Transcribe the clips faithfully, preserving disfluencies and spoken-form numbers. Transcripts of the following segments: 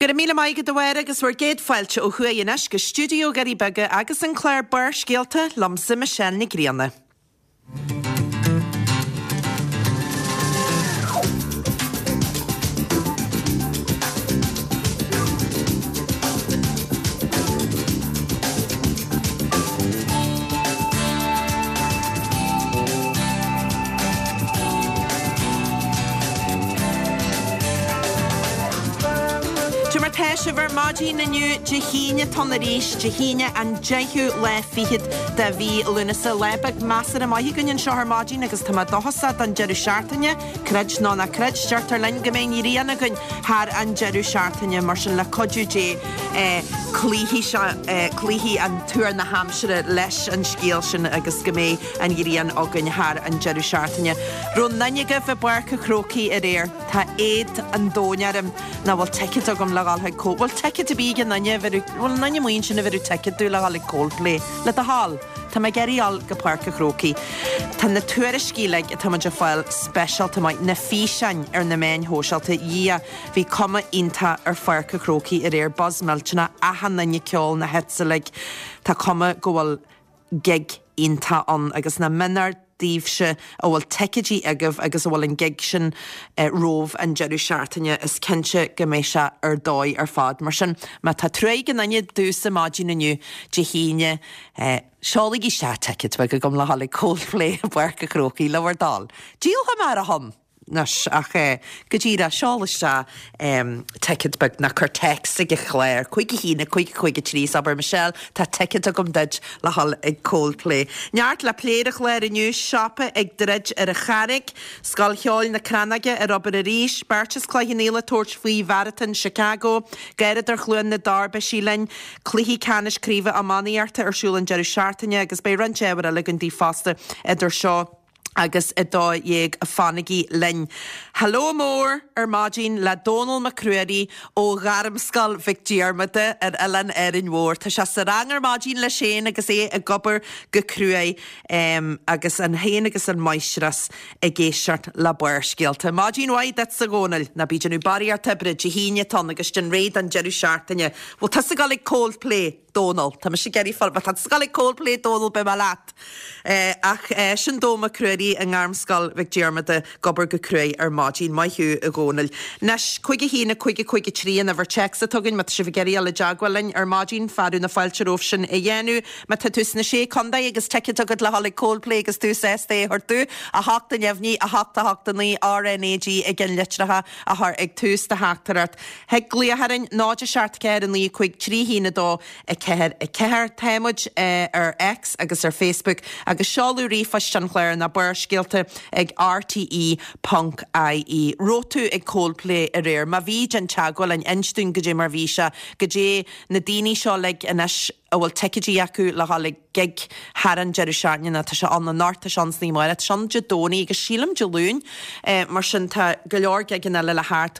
Go raibh míle maith agat a Mháire agus bhur gcéad fáilte ó thuaidh anois go stiúideo Dhoirí Beaga agus an clár Barrscéalta liomsa Michelle Nic Grianna. Cad é mar tá sibh ar maidin inniu Dé hAoine atá ann arís, Dé hAoine an deichiú lá fichead de mhí Lúnasa. Lá beag measartha maith againn anseo ar maidin agus tá mé dóchasach don deireadh seachtaine, creid nó ná creid, deirtear linn go mbeidh an ghrian againn thar an deireadh seachtaine, mar sin le cuidiú Dé cloífidh sé, cloífidh an tuar na haimsire leis an scéal sin agus go mbeidh an ghrian againn thar an deireadh seachtaine. Raibh aon duine agaibh i bPáirc an Chrócaigh aréir? Tá éad an domhain orm nach bhfuil ticéad agam le dhul chuig Cold, bhfuil ticéad ar bith ag aon duine a bheireadh, bhfuil aon duine amuigh ansin a bheireadh ticéad domh le dhul ag Coldplay? Le do thoil. Tá mé ag iarraidh dhul go Páirc an Chrócaigh. Tá na tuairiscí uilig atá muid ag fáil speisialta maith, na físeáin ar na meáin shóisialta, Dhia, bhí cuma iontach ar Pháirc an Chrócaigh aréir, buzz millteanach, achan duine ag ceol na hits uilig. Tá cuma go bhfuil gig iontach ann agus nach méanar daoibhse a bhfuil ticéidí agaibh agus a bhfuil an gig sin romhaibh an deireadh seachtaine, is cinnte go mbeidh sé ar dóigh ar fad. Mar sin, má tá trua ag aon duine domhsa maidin inniu, Dé hAoine, seolaigí isteach ticéad beag agam le dhul ag Coldplay i bPáirc an Chrócaigh, le bhur dtoil. Díolfaidh mé ar a shon! Anois, ach go díreach, seol isteach ticéad beag nó cuir téacs ag an chlár, cúig a haon, a cúig, a cúig a trí, is abair, Michelle, tá ticéad agam duit le dhul ag Coldplay. Neart le plé ar an chlár inniu, siopa ag druid ar an Charraig, Scoil Cheoil na Crannóige ar obair arís, beirt as Cloich Cheann Fhaola ag tabhairt faoi Mharatón Chicago, Garradóir Chluain na dTor, beidh sí linn, cluichí ceannais craoibhe iománaíochta ar siúl an deireadh seachtaine agus beidh roinnt ábhair eile againn daoibh fosta idir seo agus a dó dhéag. Fanaigí linn. Hello mór ar maidin le Dónal Mac Ruairí ó Ghairmscoil Mhic Diarmada ar Oileán Árainn Mhór. Tá sé sa rang ar maidin leis féin agus é ag obair go cruaidh agus an féin agus an máistreás ag éisteacht le Barrscéalta. Maidin mhaith duitse a Dhónaill. Ná bí ag déanamh barraíocht oibre, Dé hAoine atá ann agus déan réidh don deireadh seachtaine. Bhfuil tusa ag dul ag Coldplay? Dónal. Tá mise ag iarraidh fáil, má tá tusa ag dul ag Coldplay, Dónal, beidh mé leat. Ach sin Dónal Mac Ruairí i nGairmscoil Mhic Diarmada ag obair go cruaidh ar maidin. Maith thú, a Dhónaill. Anois, cúig a haon, a cúig, a cúig a trí an uimhir téacs atá againn, má tá sibh ag iarraidh dul i dteagmháil linn ar maidin, fearadh na fáilte romhaibh sin a dhéanamh. Má tá tú sna Sé Contae agus ticéad agat le dhul ag Coldplay agus tú sásta é a thabhairt domh, a hocht a neamhní, a hocht a hocht a naoi, R N A G ag an litreacha a chur ag tús do theachtaireacht. Thig glaoch orainn, náid a seacht ceathair a naoi cúig trí haon a dó a ceathair a ceathair. Tá muid ar X agus ar Facebook agus seoladh ríomhphoist an chláir ná Barrscéalta ag rte ponc ie. Raibh tú ag Coldplay aréir? Má bhí, déan teagmháil linn, inis dúinn goidé mar bhí sé, goidé na daoine seo uilig anois a bhfuil ticéidí acu le dhul ag gig thar an deireadh seachtaine nó tá sé ann anocht, tá sé ann san oíche amárach, tá sé ann Dé Domhnaigh agus sílim Dé Luain, mar sin tá go leor gigeanna eile le theacht.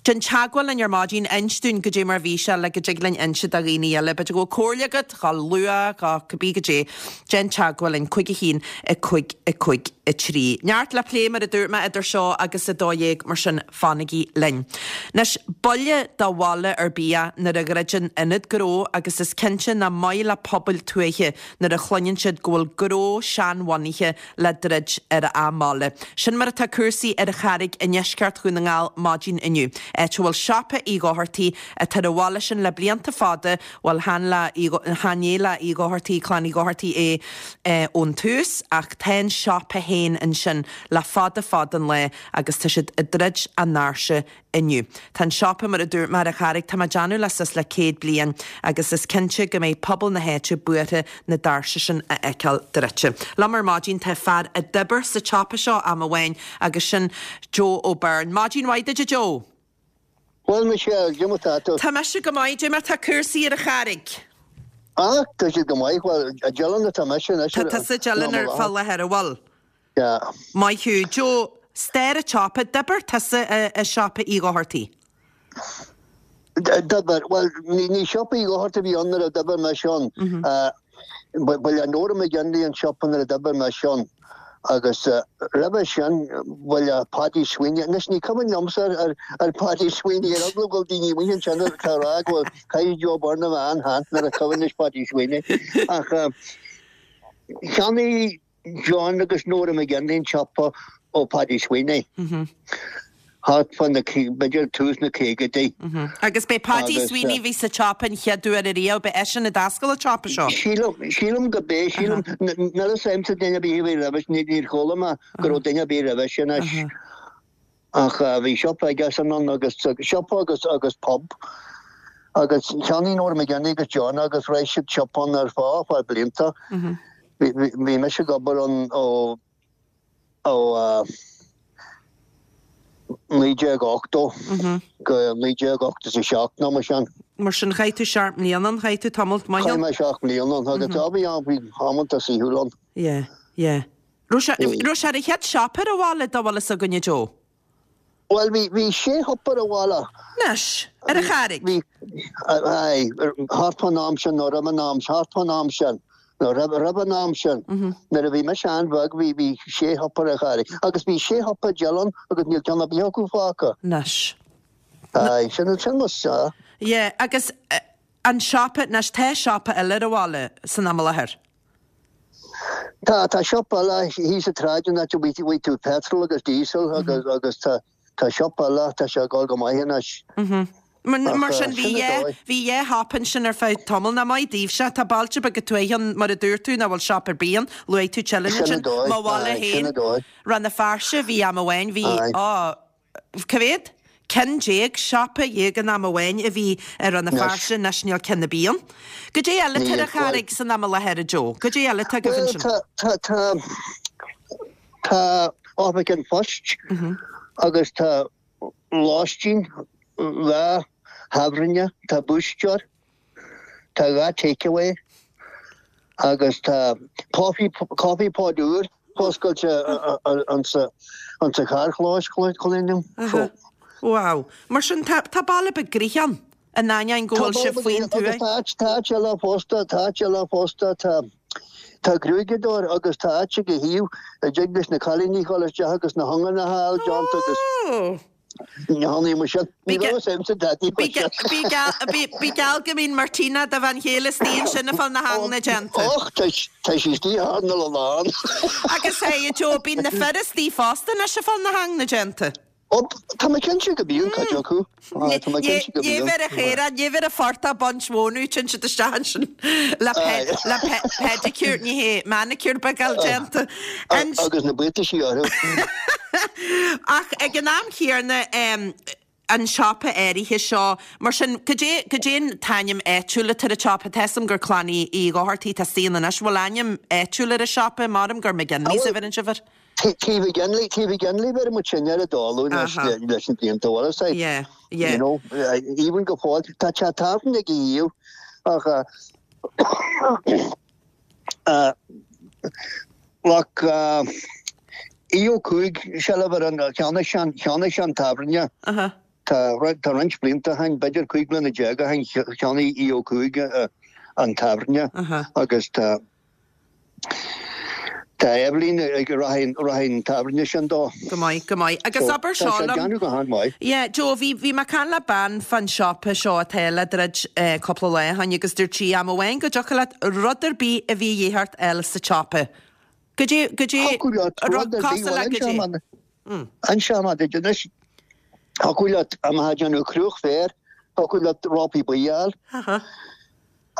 Déan teagmháil linn ar maidin, inis dúinn goidé mar bhí sé le go dtig linn inse do dhaoine eile. B'fhéidir go bhfuil comhairle agat, dhul luath, dhul cibé goidé. Déan teagmháil linn, cúig a haon, a cúig, a cúig, a trí. Neart le plé mar a dúirt mé idir seo agus a dó dhéag, mar sin fanaigí linn. Anois, buille do bhaile ar bith é nuair a dhruideann ionad gnó agus is cinnte nach maith le pobail tuaithe nuair a chluineann siad go bhfuil gnó seanbhunaithe le druid ar a mbaile. Sin mar atá cúrsaí ar an Charraig i ndeisceart Dhún na nGall maidin inniu, áit a bhfuil siopa Uí Dhochartaigh atá ar an bhaile sin le blianta fada, bhuel chan le chan é le Uí Dhochartaigh, clann Uí Dhochartaigh é ón tús, ach tá an siopa féin ansin le fada fada an lá agus tá siad ag druid a ndoirse inniu. Tá an siopa, mar a dúirt mé, ar an Charraig, tá mé ag déanamh le suas le céad bliain agus is cinnte go mbeidh pobal na háite buartha na doirse sin a fheiceáil druidte. Liom ar maidin tá fear a d'oibir sa tsiopa seo am amháin agus sin Joe O'Byrne. Maidin mhaith duit a Joe! Bhuel Michelle, cad é mar tá tú? Tá mise go maith, cad é mar tá cúrsaí ar an Charraig? Ah, tá siad go maith, bhuel, i dTeileann atá mise anois. Tá tusa i dTeileann ar fá láthair, an bhfuil? Yeah. Maith thú. Joe, stair an tsiopa, d'oibir tusa i siopa Uí Dhochartaigh? D'oibir, bhuel, ní siopa Uí Dhochartaigh a bhí ann nuair a d'oibir mise ann. Ba le Nora McGinley an siopa nuair a d'oibir mise ann. Agus roimhe sin bhuel Paddy Sweeney, anois ní cuimhin liomsa ar ar Paddy Sweeney ar eagla go bhfuil daoine amuigh ansin atá ag rá go bhfuil caithfidh Joe Byrne a bheith an-shean nuair a cuimhin leis Paddy Sweeney. Ach cheannaigh John agus Nora McGinley an siopa ó Paddy Sweeney. Thart fá na, b'fhéidir tús na caogaidí. Agus b'é Paddy Sweeney bhí sa tsiopa an chéad uair ariamh, b'é eisean a d'oscail an tsiopa seo? Sílim, sílim go b'é, sílim, níl a fhios a'msa duine ar bith a bhí roimhe, níor chuala mé go raibh duine ar bith roimhe sin anois. Ach bhí siopa aigesean ann agus, siopa agus, agus pub. Agus cheannaigh Nora McGinley agus John agus raibh siad siopa ann ar feadh, feadh blianta. Bhí, bhí mise ag obair ann ó, ó naoi déag ochtó go naoi déag ochtó is a seacht nó mar sin. Mar sin chaith tú seacht mbliana ann, chaith tú tamall maith ann? Chaith mé seacht mbliana ann agus tá, bhí am, bhí amanta saoithiúil ann. Yeah, yeah. Raibh sé, raibh sé ar an chéad siopa ar an bhaile dá bhfuil fhios againne Joe? Bhuel, bhí, bhí sé shiopa ar an bhaile. Anois, ar an Charraig? Bhí, aye, thart fán am sin nó roimh an am, thart fán am sin, nó roimh, roimh an am sin. Nuair a bhí mise an-bheag bhí, bhí sé shiopa ar an Charraig. Agus bhí sé shiopa i dTeileann agus níl ceann ar bith acu fágtha. Anois. Aye, sin, sin mo, sea. Yeah, agus an siopa, anois tá siopa eile ar an bhaile san am i láthair? Tá, tá siopa eile thíos sa tsráid an áit a bhfaighidh tú petrol agus diesel agus, agus tá, tá siopa eile, tá sé ag dul go maith anois. Mar, mar sin bhí dhá, bhí dhá shiopa ansin ar feadh tamaill. Nach maith daoibhse, tá bailte beaga tuaithe ann mar a dúirt tú nach bhfuil siopa ar bith ann, luaigh tú Teileann Sin ansin, an dóigh, mo bhaile aye, sin féin, an dóigh. Rann na Feirste, bhí am amháin, bhí, Aye. á, cá mhéad? Ceann déag, siopa dhéag in am amháin a bhí i Rann na Anois. Feirste, anois níl ceann ar bith ann. Goidé eile atá ar Níl, an Charraig san am i láthair, a Joe? Goidé eile atá agaibh Bhuel, ansin? tá, tá, tá, tá oifig an phoist agus tá lóistín, dhá thábhairne, tá búisteoir, tá dhá takeaway agus tá coffee, coffee pod úr foscailte ansa, ansa charrchlós, cluinim. So, Wow. Mar sin tá, tá baile beag gnoitheach ann, in ainneoin go Tá bhfuil sibh baile faoin beag agus tuaith. tá áit, tá áit eile fosta, tá áit eile fosta, tá, tá gruaigeadóir agus tá áit ag a thaobh a dtig leis na cailíní dhul isteach agus na hionganna a fháil déanta agus Oh. ní tháinig mar sin. Ní Bí raibh fhios a'msa dadaí Bí faoi sin. bí geall bí bí geall go mbíonn Martina do bhean chéile istigh ansin ag fáil na hanganna déanta. Och, tá tá sí istigh thar na lán. Agus hey, Joe, bíonn na fir istigh fosta anois ag fáil na hanganna déanta. Ó, tá mé cinnte go mbíonn cuid acu. Ah, Tá mé cinnte go Ní mbíonn. bheith a chéire, ní bheith a phortach baint mhónú tinn siad isteach ansin le pe le pe pedicure, ní hé manicure beag déanta. And Agus na buataisí orthu. Ach ag an am chéanna um, an siopa áirithe seo, mar sin goidé goidé an t-ainm áitiúil atá ar an tsiopa tá 'fhios a'm gur Clann Uí Dhochartaigh atá istigh ann anois, bhfuil ainm áitiúil ar an siopa maram gur McGinley's a bheireann sibh air? Tí McGinley, Tí McGinley bheireann muid sin ar an dálu leis Aha. leis na blianta bhfuil a fhios Yeah, yeah. You know, uh, even go fóill tá te tábhairne ag a thaobh ach uh, uh, like uh, Aodh Ó Cuaig seilbh ar an cheannaigh sé an cheannaigh sé an tábhairne Aha. Tá tá roinnt blianta ó shin b'fhéidir cúig bliana déag ó shin cheannaigh Aodh Ó Cuaig uh, an tábhairne Aha. agus tá tá Evelyn ag rith rith an tábhairne sin dó. Go maith, go maith. Agus So, abair tá seo sé liom. déanamh go han-mhaith. Yeah, Joe, bhí bhí mé ag caint le bean fan siopa seo atá le druid eh, cúpla lá ó shin agus dúirt sí am amháin go dtiocfadh leat rud ar bith a bhí a dhíth ort a fháil sa tsiopa. Goidé goidé Thiocfadh leat rud ar bith cosúil le goidé. An se mar anois thiocfadh leat am ha déanamh cruach féir, thiocfadh leat rópaí buí a fháil Aha.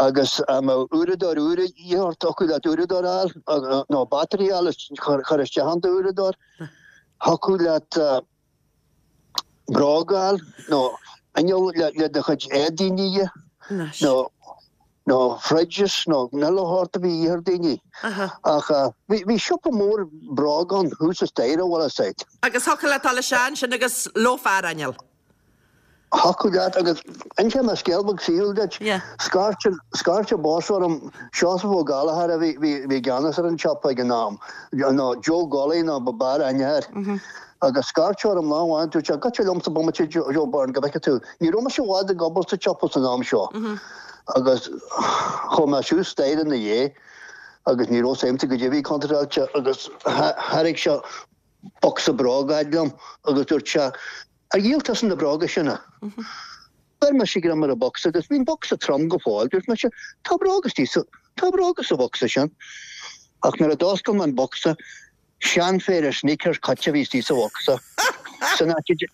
agus am uaireadóir úr a dhíth thiocfadh leat uaireadóir a fháil nó battery a fháil chur chur isteach an uaireadóir. Thiocfadh leat uh, bróg a fháil nó inneall le le do chuid éadaí a ní Anois. nó nó fridges nó chuile shórt a bhí a dhíth ar daoine. Aha. Ach uh, bhí bhí siopa mór bróg ann thuas sa staighre bhfuil a fhios a'd. Agus thiocfadh leat dul isteach ansin agus leofa inneall. Thiocfadh leat agus inseoidh mé scéal beag saoil duit. Yeah. Scairt scairt boss orm Seosamh Ó Gallchóir a bhí bhí bhí i gceannas ar an siopa ag an am. nó Joe Golly nó ba b'fhearr aithne air. Agus scairt orm lá amháin dúirt sé gabh liomsa bomaite Joe Byrne go bhfeice tú. Ní raibh mise i bhfad ag obair sa siopa san am seo. Agus chuaigh mé suas staighre ina dhiaidh Agus ní raibh a fhios a'msa goidé a bhí contráilte agus thairg sé bocsa bróga liom agus dúirt sé, Ar dhíol tusa na bróga sin? Chuir mise greim ar an bocsa agus bhí an bocsa trom go fóill, dúirt mise, Tá bróga istigh sa, tá bróga sa bhocsa sin. Ach nuair a d'oscail mé an bocsa, seanphéire sneakers caite a bhí istigh sa bhocsa. San áit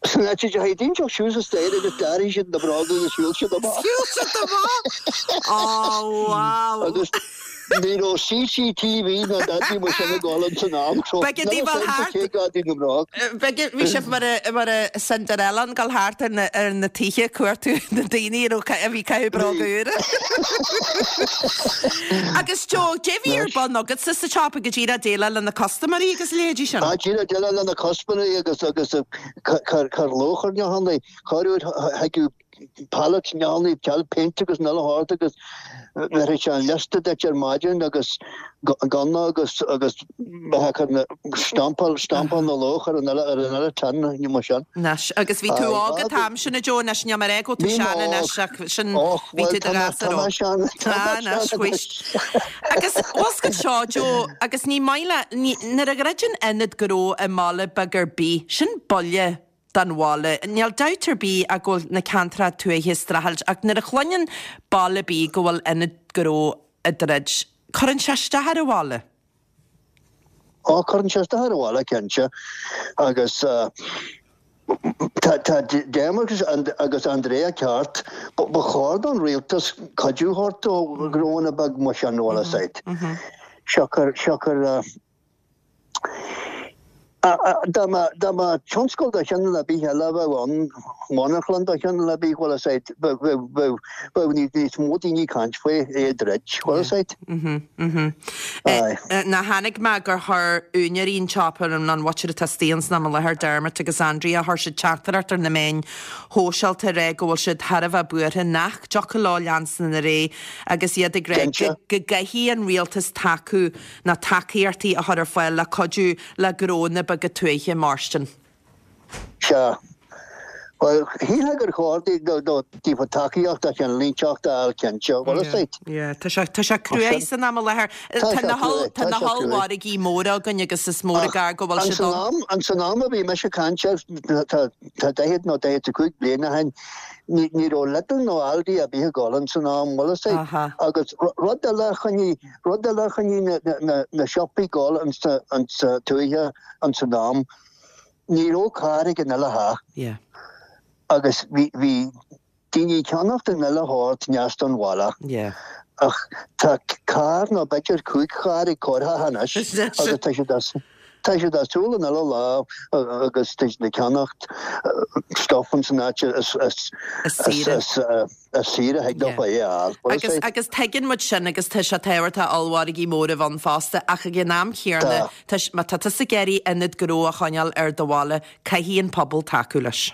San áit a dteachaigh daoine suas an staighre agus d'airigh siad na bróga agus shiúil siad amach. Shiúil siad amach! Oh, wow! Agus ní raibh CCTV ná dadaí mar sin ag dul ins an am so Beidh níl daoibh a fhios thart. cé gadaí na mbróg. Beidh bhí sibh mar a mar a Cinderella ag dul thart ar na ar na tithe ag cuartú na daoine a raibh a bhí ag caitheamh bróga úra. Agus Joe, dé bhí ar bun agatsa sa tsiopa go díreach déileáil le na custaiméirí agus a leithéidí sin? Ah, díreach déileáil le na custaiméirí agus agus cur cur luach ar neochannaí, corruair thigeadh pallets neochannaí, ceal péint agus an uile shórt agus bheirfeadh sé an liosta duit ar maidin agus gunna agus agus bheadh cur na stampáil stampáil na luach ar an uile ar an uile tin nó mar sin. Anois, agus bhí tú Aye, óg an t-am sin a Joe, anois níl mé ag rá go bhfuil tú Bhí sean mé anois óg. ach sin Och, bhí bhuel tú do tá mé ghasúr tá mé óg. sean tá mé Ah, anois, sean whuisht. anois. Agus bhfuil 's agat seo Joe, agus ní maith le ní nuair a dhruideann ionad gnó i mbaile beag ar bith, sin buille don bhaile. Níl dabht ar bith ach go bhfuil na ceantracha tuaithe ag streachailt ach nuair a chluineann baile ar bith go bhfuil ionad gnó ag druid, cuireann sé isteach ar an bhaile. Ó cuireann sé isteach ar an bhaile cinnte agus uh, Tá tá Dermot agus Andrea ceart, ba chóir don rialtas cuidiú a thabhairt do ghnónna beag mar sin bhfuil 'fhios a'd. Siocair siocair Dá mba tionscal de chineál ar bith eile a bheadh ann, monarchlann de chineál ar bith, bhfuil 'fhios a'd, bheadh níos mó daoine ag caint faoi é a dhruid, bhfuil 'fhios a'd. Ná tháinig mé gur chuir úinéirí an tsiopa an an mhuintir atá istigh ann san am i láthair, Dermot agus Andrea, chuir siad teachtaireacht ar na meáin shóisialta ag rá go bhfuil siad thar a bheith buartha nach dtiocfadh leo leanstan ar aghaidh agus iad ag rá go go gcaithfidh an rialtas tacú na tacaíochtaí a chur ar fáil le cuidiú le gnónna beaga tuaithe mairstin. Sea. Bhuel, shílfeá gur chóir daofa tacaíocht de chineál inteacht a fháil cinnte, bhfuil 'fhios a'd. Yeah, tá sé tá sé cruaidh san am i láthair. Tá Tá sé na cruaidh, tá tá na sé cruaidh. hollmhargaí móra againn agus is mór an gar go bhfuil An siad san ann. am, an san am a bhí mise ag caint air, tá tá daichead nó daichead a cúig bliain ó shin, ní ní raibh Lidl nó Aldi ar bith ag dul ann san am, bhfuil 'fhios a'd. Aha. Agus rud eile a choinnigh rud eile a choinnigh na na na na siopaí ag dul an sa an sa tuaithe an san am, ní raibh carr ag an uile theach. Yeah. Agus bhí bhí daoine ag ceannacht an uile shórt aneas don bhaile. Yeah. Ach tá carr nó b'fhéidir cúig charr ag corrtheach anois agus tá siad as tá siad as siúl an uile lá agus tá siad ag ceannacht stuff an san áit is is Is saoire. is is saoire a thig leo é a fháil. Bhfuil Agus 'fhios a'd? agus tuigeann muid sin agus tá sé tábhachtach ollmhargaí móra a bheith ann fosta ach ag an am céanna Tá. tá s- má tá tusa ag iarraidh ionad gnó a choinneáil ar do bhaile, caithfidh an pobal tacú leis.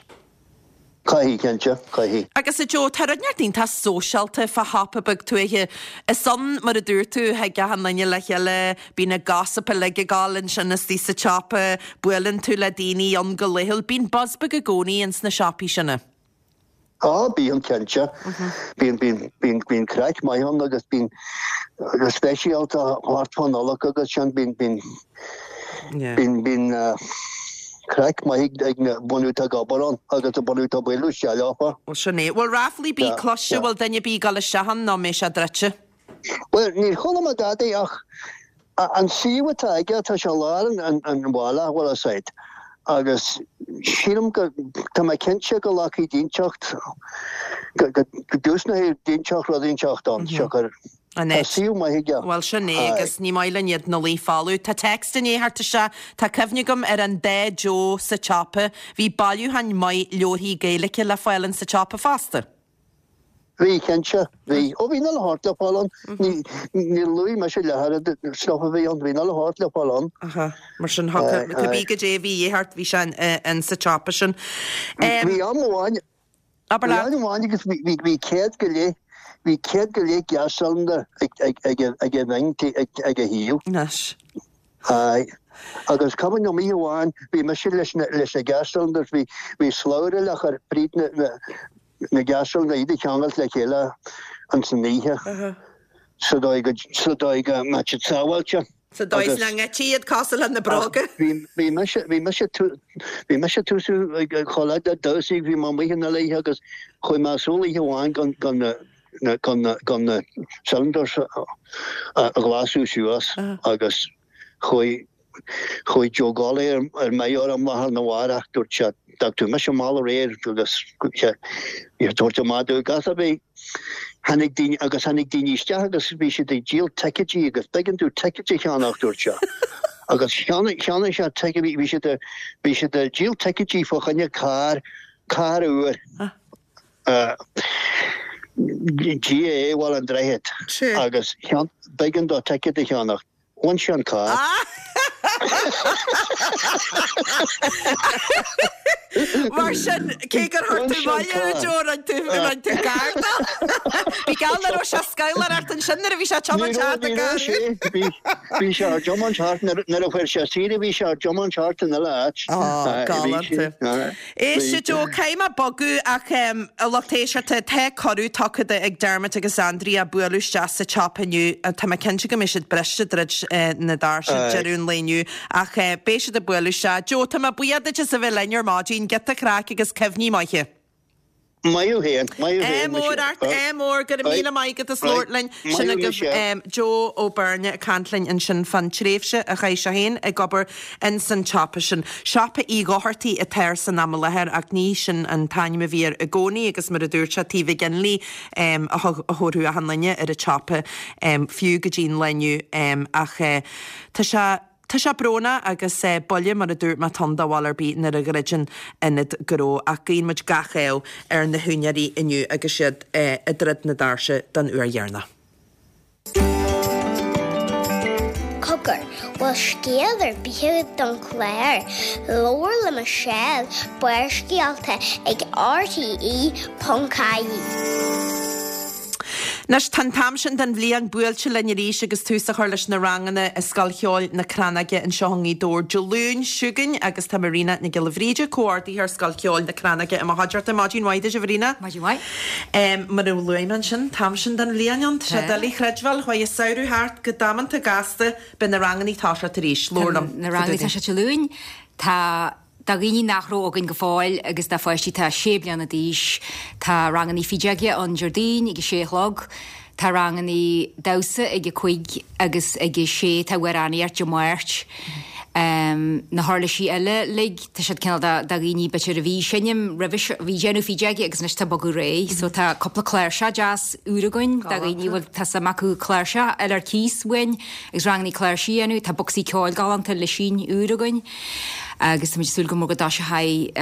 Caithfidh cinnte, caithfidh. Agus a Joe, tá rud inteacht iontach sóisialta fá shiopa beag tuaithe. Is ann mar a dúirt tú thig achan duine le chéile, bíonn na gossip uilig ag gabháil ansin istigh sa tsiopa, buaileann tú le daoine ann go laethúil. Bíonn buzz beag i gcónaí ins na siopaí sin. Á bíonn cinnte. Bíonn bíonn bíonn bíonn craic maith ann agus bíonn go speisialta thart fán Nollaig agus sin bíonn bíonn Yeah. bíonn bíonn uh, craic maith ag na bunú ag obair ann agus a bunú tá buú se leofa. Well sin é. Bhfuil ráflaí bí Yeah, cloiste yeah. bhfuil duine bí gal isteach ann nó mé sé druidte? Well níor chuala mé dadaí ach a- an suíomh atá aige tá sé lár an an an bhaile bhfuil 'fhios a'd. Agus sílim go tá mé cinnte go nglacfaidh duine inteacht go go go dtosnóidh duine inteacht rud inteacht ann siocair An tá é. suíomh maith aige. Well sin é Aye. agus ní maith linn iad ina luí folamh. Tá text inné thart isteach, tá cuimhne agam ar an dá Joe sa tsiopa, bhí bailiúchán maith leabharthaí Gaeilge le fáil in sa tsiopa fosta. Bhí cinnte bhí ó bhí na háit le fáil ann ní ní luí me sé le stuff a bhí ann bhí na háit le fáil ann. Aha, mar sin Aye, cibé aye. goidé bhí thart bhí sé in sa tsiopa sin. Bhí am amháin Aber bhí leat am amháin agus bhí bhí bhí céad go leith bhí céad go leith gas cylinder ag ag ag ag a bhing ag ag a shuíomh. Anois. Aye. Agus cuimhin liom oíche amháin bhí mise leis na leis na gas cylinders bhí bhí slabhra le chur fríd na na na gas cylinder iad a cheangal le chéile an san oíche. sa dóigh go sa dóigh go mbeadh siad sábháilte. Sa dóigh is nach ngoidtí iad cosúil le na bróga. Bhí bhí mise bhí mise bhí mise túsú chomh le damhsaí bhí mé amuigh ina léithe agus chuaigh mé súil oíche amháin gan gan na na gan na gan na cylinders a ghlasú suas agus chuaigh chuaigh Joe Gawley ar ar mé orm lá arna mhárach dúirt sé d'fhág tú mise mall aréir agus sé dúirt amach dúirt gas a bhí tháinig daoine agus tháinig daoine isteach agus bhí siad ag díol ticéidí agus b'éigean dom ticéid a cheannach dúirt sé. Agus cheannaigh cheannaigh sé ticéid bhí siad bhí siad ag díol ticéidí fá choinne carr carr úr. Uh, GAA Bhaile an Droichid agus b'éigean dó ticéad a cheannach. Bhain sé an carr. Mar sin cé gur chuir tú maille ar Joe rinne tú rinne tú gar dó. Bhí geall le raibh sé ag scabhláireacht ansin nuair a bhí sé ag tiomáint thart i gcarr. Bhí bhí sé ag tiomáint thart nuair a chuir sé saoire bhí sé ag tiomáint thart in uile áit. Á, galánta. Éist a Joe, caithfidh mé bogadh ach a lucht éisteachta tá cuireadh tugtha do ag Dermot agus Andrea bualadh isteach sa tsiopa inniu. Tá mé cinnte go mbeidh siad briste druid na doirse deireadh an lae inniu ach beidh siad ag bualadh isteach. Joe, tá mé buíoch duit as a bheith linn ar maidin, giota craic agus cuimhní maithe. Maith thú féin, maith thú féin. Ádh mór ort, ádh mór, go raibh míle maith agat as labhairt linn. Sin agaibh Joe Ó Beirne ag caint linn ansin fán tréimhse a chaith sé féin ag obair ins an tsiopa sin. Siopa Uí Dhochartaigh atá air san am i láthair ach ní sin an t-ainm a bhí air i gcónaí agus mar a dúirt sé Taobh McGinley a thabharfadh achan duine ar an tsiopa fiú go dtí an lá inniu ach tá sé Tá sé brónach agus buille mar a dúirt mé atá ann do bhaile ar bith nuair a dhruideann ionad gnó ach guíonn muid gach ádh ar na húinéirí inniu agus iad ag druid na doirse don uair dheireanach. Cogar, bhfuil scéal ar bith agat don chlár? Labhair le Michelle, Barrscéalta ag rte ponc ie. Anois, tá an t-am sin den bhliain buailte linn arís agus tús á chur leis na ranganna i Scoil Cheoil na Crannóige anseo i nGaoth Dobhair Dé Luain seo chugainn agus tá Marina Nic Giolla Bhríde, Comhordaitheoir Scoil Cheoil na Crannóige i mo chuideachta. Maidin mhaith duit, a Mharina. Maidin mhaith. Mar a luaigh mé ansin, t-am sin den bhliain ann, tá sé doiligh a chreidbheáil, chuaigh an samhradh thart go damanta gasta, beidh na ranganna ag toiseacht arís. Labhair liom. Na ranganna ag toiseacht Dé Luain, tá. Do dhaoine nach raibh againn go fóill agus do pháistí atá sé bliana d'aois, tá rangannaí fideoige ann Déardaoin ag a sé a chlog, tá rangannaí damhsa ag a cúig agus ag a sé tá amhránaíocht Dé Máirt. Na huirlisí eile uilig, tá siad cineál do dhaoine b'fhéidir a bhí seinm roimhe seo, bhí déanamh fideoige agus anois tá bogadh ar aghaidh. So tá cúpla cláirseach deas úr againn do dhaoine a bhfuil tá suim acu cláirseach a fháil ar cíos uainn agus rangannaí cláirsí a dhéanamh. Tá bocsaí ceoil galánta Lisín úr againn. Agus táimid ag súil go mór go dtoiseochaidh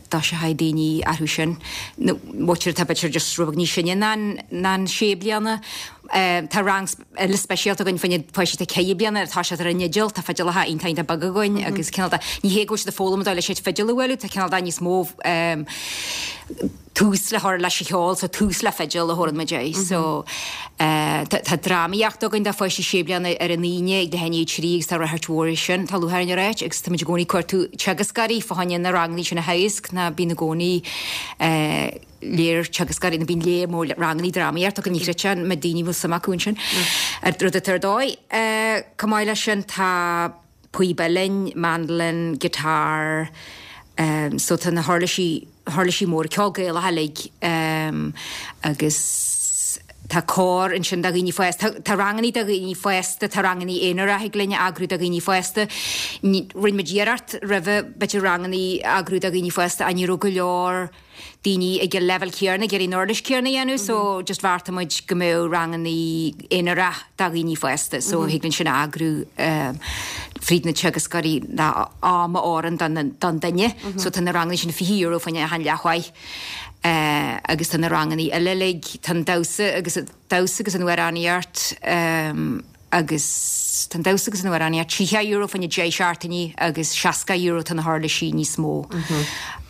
dtoiseochaidh daoine orthu sin. Nó b'fhéidir atá b'fhéidir just rud beag níos sine ná ná an sé bliana. Tá rang eile speisialta againn fá choinne páistí atá ceithre bliana ag toiseacht ar an fhidil, tá fidileacha iontach iontach beaga againn agus cineál de, ní hé go bhfuil siad ag foghlaim an dóigh leis an fidil a bhualadh, tá cineál de níos mó tús le chur leis an cheol, so tús le fidil a thabharann muid air. So tá drámaíocht againn do pháistí sé bliana ar an Aoine ag leath i ndiaidh a trí agus tá ráchairt mhór air sin, tá lúcháir orainn a ráit, agus táimid i gcónaí ag cuartú teagascóirí fá choinne na rangannaí sin a theagasc, ná bíonn i gcónaí léir teagascóirí, nó bíonn léir mór rangannaí drámaíocht againn, ní chreidfeá an méid daoine a bhfuil suim acu ansin, rud atá ar dóigh. Chomh maith leis sin tá píb uilleann, mandolin, guitar, so tá na huirlisí, huirlisí móra, ceol Gaelach uilig agus tá cór ansin do dhaoine fásta, tá rangannaí do dhaoine fásta, tá rangannaí aonarach thig linn a eagrú do dhaoine fásta. Rinne muid iarracht roimhe b'fhéidir rangannaí a eagrú do dhaoine fásta ach ní raibh go leor daoine ag an leibhéal céanna ag iarraidh an uirlis céanna a dhéanamh so just bheartaigh muid go mbeadh rangannaí aonarach do dhaoine fásta so thig linn sin a eagrú fríd na teagascóirí ná am a oireann don duine so tá na rangannaí sin fiche euro fá choinne achan leathmhaith agus tá na rangannaí eile uilig tá an damhsa agus damhsa agus an amhránaíocht agus tá an damhsa agus an amhránaíocht tríocha euro fá choinne deich seachtainí agus seasca euro tá na huirlisí níos mó.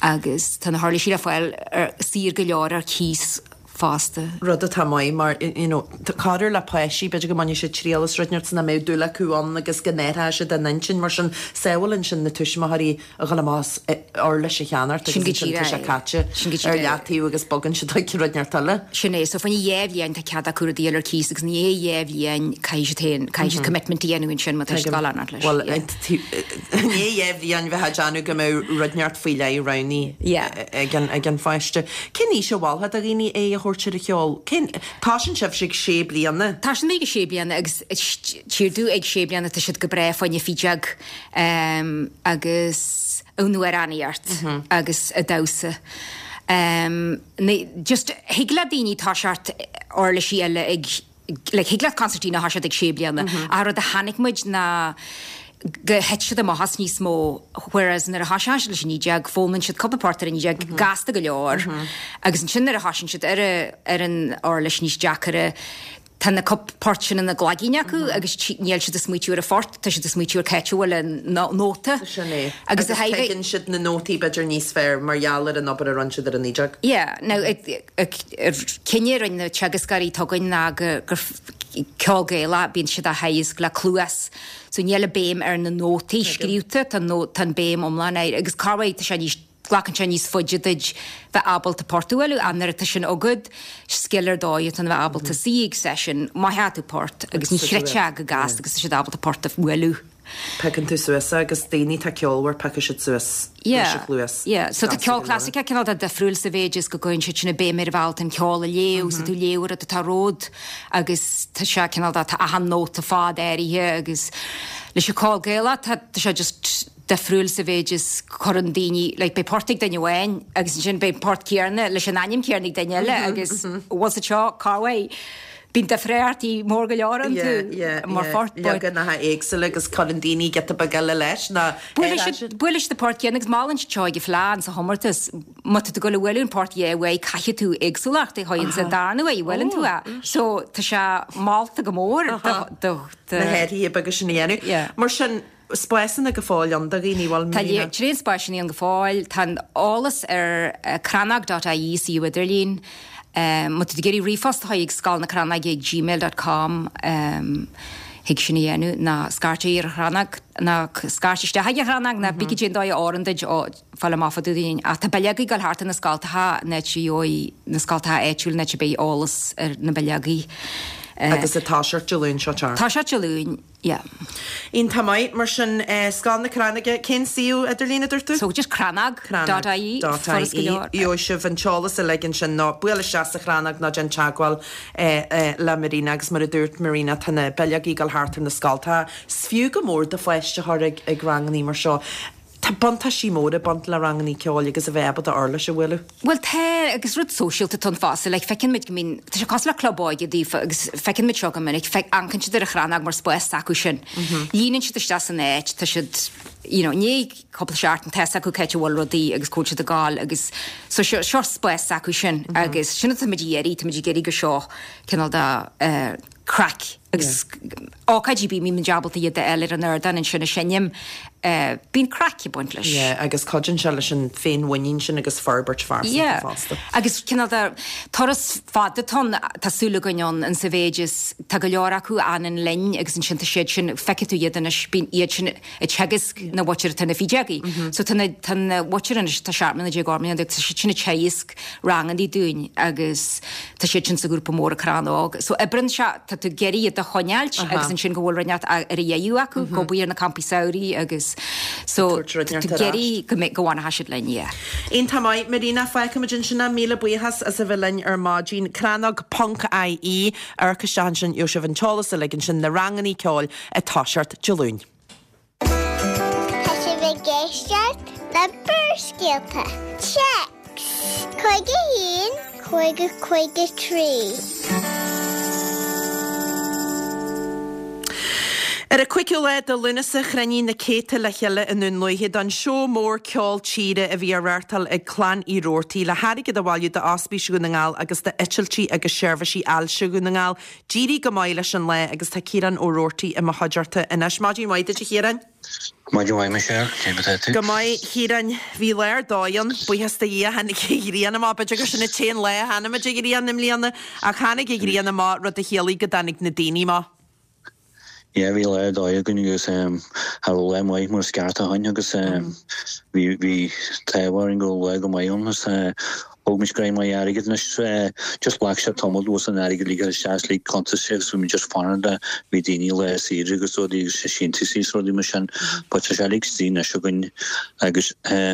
Agus tá na huirlisí le fáil ar saor go leor ar cíos fosta. Rud atá maith mar you know, corruair le páistí b'fhéidir go mbainfidh siad triail as rud inteacht nach mbeadh dúil acu ann agus go n-athródh siad a n-intinn mar sin sábhálann sin na tuismitheoirí a dhul amach as uirlis a cheannacht Sin agus go ansin tá díreach sé é. caite Sin go ar díreach é. leataobh agus bogann siad chuig rud inteacht eile. Sin é, so fá choinne dhá bhliain tá cead acu rudaí a fháil ar cíos agus i ndiaidh dhá bhliain caithfidh siad féin, caithfidh siad commitment a dhéanamh ansin má tá siad ag dul leanacht leis. Well, Yeah. i ndiaidh dhá bhliain bheith ag déanamh go mbeadh rud inteacht faoi leith roghnaithe Yeah. ag an ag an pháiste. Cén aois a mholfá do dhaoine é a thabhairt ar an cheol? Cén tosaíonn sibh ag sé bliana? Tá sin ag sé bliana agus tírdú ag sé bliana tá siad go breá fá choinne fídeog um, agus an amhránaíocht agus a damhsa. Um, ní, just thig le daoine toiseacht uirlisí eile ag like, thig leat concertina a thoiseacht ag sé bliana. A rud a chonaic muid ná go thit siad amach as níos mó, whereas nuair a thosaíonn siad leis an fhídeog, foghlaimíonn siad cúpla port ar an fhídeog gasta go leor, agus ansin nuair a thosaíonn siad ar a- ar an uirlis níos deacaire, tá na cúpla port sin ina gcloigne acu agus tí- níl siad ag smaoitiú ar a phort, tá siad ag smaoitiú ar cá háit a bhfuil an nó- nóta. Sin é. Agus a thaobh- tuigeann siad na nótaí b'fhéidir níos fearr mar gheall ar an obair a rinne siad ar an fhídeog. Yeah, now cinneadh a rinne na teagascóirí againn ná go gur ceol Gaelach bíonn siad á theagasc le cluas. So níl a béim ar na nótaí scríofa tá nó tá an béim iomlán air agus corruair tá sé níos glacann sé níos faide duit bheith ábalta port a bhualadh an nuair atá sin agat scil ar dóigh atá bheith ábalta suí ag session má tú port agus ní chreite go gasta agus tá siad ábalta port a bhualadh. Picann tú suas agus daoine tá ceolmhar piocfaidh siad suas leis an chluas. Yeah, so tá Gasta ceol go leor. clasaiceach cineál de difriúil sa mhéid is go gcuireann siad sin béim ar bhealach an ceol a léamh, so tú léamh rud atá romhat agus tá sé cineál de tá achan nóta fad áirithe agus leis an ceol Gaelach tá tá sé just difriúil sa mhéid is cuireann daoine like beidh port ag duine amháin agus ansin beidh port céanna leis an ainm céanna ag duine eile agus was it seo corruair bíonn difríochtaí mór go leor iontu mar phort but- Leaganacha éagsúla agus cuireann daoine giota beag eile leis ná Buaileann siad port céanna agus molann siad seo ag an fleadh sa chomórtas má tá tú ag dul a bualadh an port dhá uair caithfidh tú éagsúlacht a chur sa darna huair a bhuaileann tú é. So tá sé molta go mór do- do- do- na hathruithe beaga sin a dhéanamh. Yeah. Mar sin spásanna go fóill ann do dhaoine bhfuil Tá tréan spásanna ann go fóill, Tá an eolas ar uh, crannóg.ie suíomh idirlín. Um, má tá tú ag iarraidh ríomhphost ag scoil na Crannóige ag gmail.com um, thig sin a dhéanamh ná scairt ar Chrannóg ná scairt isteach ag Chrannóg ná bí dé dóigh áran duid ó fáil amach fá dtaobh ach tá bileogaí ag dul thart na scoltacha net dóigh na scoltacha áitiúil net beidh eolas ar na bileogaí. agus atá seart Luan seo tear. Tá sé Luan, yeah. Iontach maith mar sin eh, Scoil na Crannóige cén suíomh idirlín a dúirt tú? So just crannóg.ie foras go leor. Gheobhaidh sibh an t-eolas uilig sin ná buail isteach sa Chrannóg ná déan teagmháil eh, eh, le Marina agus mar a dúirt Marina tá na bileogaí ag dul thart ar na scoltacha. Is fiú go mór do pháiste a chur ag ag rangannaí mar seo. Tá buntáistí móra ag baint le rangannaí ceoil agus a bheith ábalta uirlis a bhualadh. Well tá agus rud sóisialta atá ann fosta le feiceann muid go mbíonn tá sé cosúil le club óige daofa agus feiceann muid seo go minic feic amharcann siad ar an Chrannóg mar spás acu sin. Líonann siad isteach san áit tá siad you know, ní cúpla seachtain tá acu cá háit a bhfuil rudaí agus cá bhfuil siad ag gabháil agus so seo seo spás acu sin agus sin atá muid ag iarraidh tá muid ag iarraidh go seo cineál de uh, craic agus ócáidí bí mí ábalta iad eile ar an ardán ansin a seinm uh, bíonn craic ag baint leis. Yeah, agus cuidíonn sé leis an féinmhuinín sin agus forbairt phearsanta Yeah. fosta. Agus cineál de turas fada atá ann tá súil againn ann an sa mhéid is tá go leor acu ann linn agus ansin tá siad sin feicfidh tú iad anois bíonn iad sin ag teagasc na mhuintir atá na fídeogaí. So tá na tá na mhuintir anois tá seacht mbliana déag ocht mbliana déag, tá siad sin ag teagasc rangannaí dúinn agus tá siad sin sa ghrúpa mór Crannóg. So oibreann sé tá tú ag iarraidh iad a choinneáilt agus ansin go bhfuil rud inteacht ar a dhéanamh acu go bhfuil ar na campaí samhraidh agus so Tabhairt rud inteacht tú ar ag iarraidh go mbeidh go bhfanfaidh siad linn, yeah. Iontach maith Marina fágfaimid ansin míle buíochas as a bheith linn ar maidin crannóg ponc IE ar isteach ansin gheobhaidh sibh an t-eolas uilig ansin na rangannaí ceoil ag toiseacht Dé Luain. Tá sibh ag éisteacht le Barrscéalta. Téacs Cúig a haon, cúig a cúig a trí. Ar an cúigiú lá de Lúnasa chruinnigh na céadta le chéile i nDún Lúiche don seó mór ceol tíre a bhí á reáchtáil ag Clann Uí Robhartaigh le hairgead a bhailiú d'Ospís Dhún na nGall agus d'Eitiltí agus Seirbhísí Ailse Dhún na nGall. D'éirigh go maith leis an lá agus tá Ciarán Ó Robhartaigh i mo chuideachta anois. Maidin mhaith duit a Chiaráin. Maidin mhaith Michelle, cé mar atá tú? Go maith Chiaráin, bhí lá ar dóigh ann, buíochas do Dhia tháinig an ghrian amach, b'fhéidir gur sin an t-aon lá a chonaic muid an ghrian i mbliana, ach tháinig an ghrian amach, rud a chiallaigh go dtáinig na daoine amach. Yeah, bhí lá ar dóigh againn agus cha raibh lá maith mar is ceart againn agus bhí bhí t-ádh orainn go raibh lá go maith ann agus thóg muid greim maith airgid anois just ghlac sé tamall luas an airgid ligthe isteach le cuntas agus bhí muid just fanacht le bhí daoine lá saoire agus rudaí agus síntiúsaí is rudaí mar sin but tá sé uilig istigh anois againn agus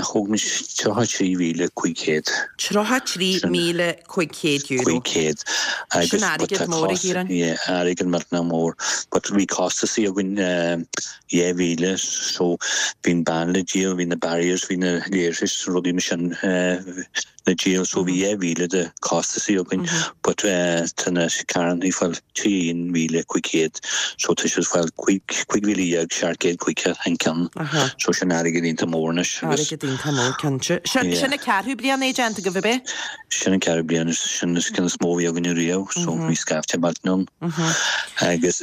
thóg muid tríocha trí mhíle cúig chéad. Tríocha trí míle cúig chéad euro. Cúig chéad. Sin airgead mór a Chiaráin. Yeah, airgead millteanach mór. But bhí costasaí againn dhá mhíle so bhí an band le díol, bhí na barriers, bhí na léirsís, rudaí mar sin le díol so bhí dhá mhíle de costasaí againn but tá na carrannaí ag fáil trí aon mhíle cúig chéad so tá siad ag fáil cúig cúig mhíle dhéag seacht gcéad caoga an ceann so sin airgead iontach mór anois agus Airgead iontach mór cinnte. Sin sin an ceathrú bliain é déanta agaibh ab é? Sin an ceathrú bliain is sin is ceann is mó a bhí againn riamh so bhí scaifte millteanach ann agus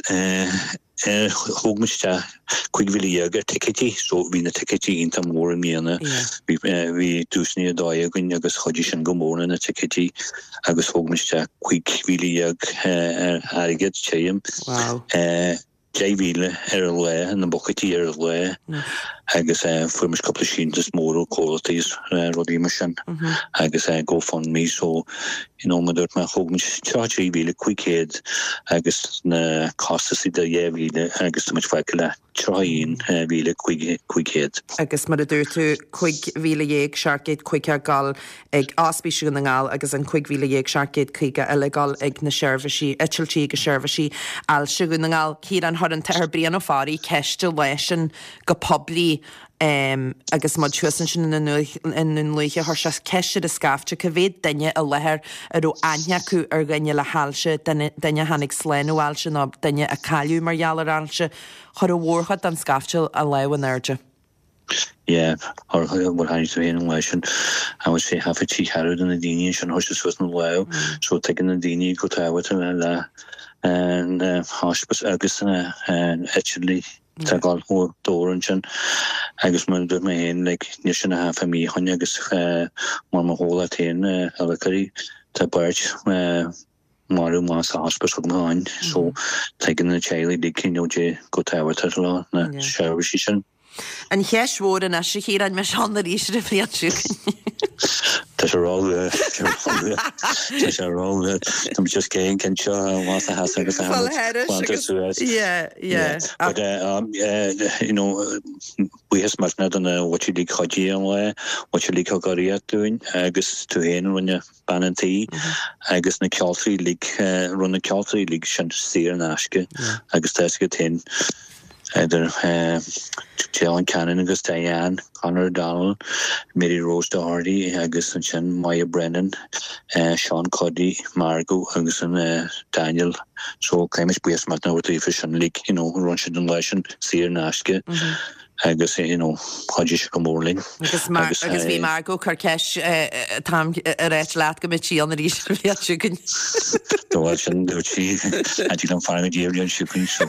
thóg muid isteach cúig mhíle dhéag ar ticéidí so bhí na ticéidí iontach mór i mbliana. Bhí bhí duaiseanna ar dóigh againn agus chuidigh sin go mór le na ticéidí agus thóg muid isteach cúig mhíle dhéag ar airgead tirim. Wow. Deich mhíle ar an lá, na bucaidí ar an lá agus fuair muid cúpla síntiús mór ó chomhlachtaí is rudaí mar sin agus GoFundMe so you know mar dúirt mé thóg muid tríocha trí mhíle cúig chéad agus na costasaí de dheich mhíle agus tá muid fágtha le tríocha aon mhíle cúig cúig chéad. Agus mar a dúirt tú cúig mhíle dhéag seacht gcéad caoga ag dul ag Ospís Dhún na nGall agus an cúig mhíle dhéag seacht gcéad caoga eile ag dul ag na seirbhísí eitiltí agus seirbhísí ailse Dhún na nGall. Ciarán chuir an tAthair Brian Ó Fearraigh ceist an lá sin go poiblí um, agus muid thuas ansin i nDún Lúiche chuir sé ceist ar an scaifte cá mhéad duine i láthair a raibh aithne acu ar dhuine le hailse, duine duine a tháinig slán ó ailse nó duine a cailleadh mar gheall ar ailse. Chuir an mhórchuid den scaifte a lámh in airde. Yeah, or well tháinig tú féin an lá sin I would say half a trí cheathrú de na daoine sin chuir siad suas na lámh so tuigeann na daoine chomh tábhachtach le le an hospice agus an eitiltí tá ag dul dóibh ansin agus mar a dúirt mé féin like níl sin a half a mí ó shin agus mar mo chomhlacht féin a tá beirt marbh amach sa hospice agam féin so tuigeann na teaghlaigh like you know de chomh tábhachtach le na seirbhísí sin. An cheist mhór anois a Chiaráin mbeidh sé ann arís an bhliain seo chugainn. Tá sé ró-luath Tá sé ró-luath Tá just céin cin seo más a has agus a suas. Yeah, yeah. But uh, um, uh, you know buíochas millteanach do na muintir uilig chuidigh an lá, muintir uilig thug urraíocht dúinn agus tú féin rinne bean an tí agus na ceoltóirí uilig rinne na ceoltóirí uilig sin saor in aisce agus tá go féin idir John Cannon agus Diane, Conor O'Donnell, Mary Rose Doherty agus ansin Maya Brennan, uh, Sean Cuddy, Margot agus an uh, Daniel. So caithfidh muid buíochas millteanach daofa sin like, you know, rinne siad an lá sin saor in aisce. Mm -hmm. agus you know chuidigh sé go mór linn. Agus agus agus bhí Margot ag cur ceist táim ag ráit leat go mbeidh sí ann arís an bhliain seo chugainn. Tá sin dúirt sí an fear díobh seo chugainn so.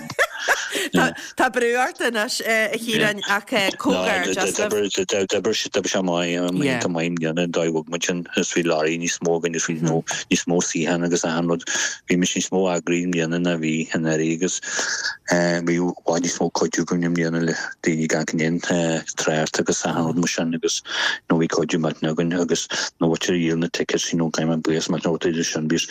Tá brú ort anois a Chiaráin ach comhghairdeas D'oibrigh sé maith tá maith dhéana dóigh muid sin is bhí leoraí níos mó againn is bhí níos mó suíochán agus achan rud bhí muid níos mó eagraithe i mbliana ná bhí anuraidh agus bhí i bhfad níos mó cuidiú againn i mbliana le daoine gan aon trácht agus achan rud mar sin agus nó bhí cuidiú millteanach againn agus na muintir a dhíol na tickets you know caithfidh mé buíochas millteanach a thabhairt sin bhí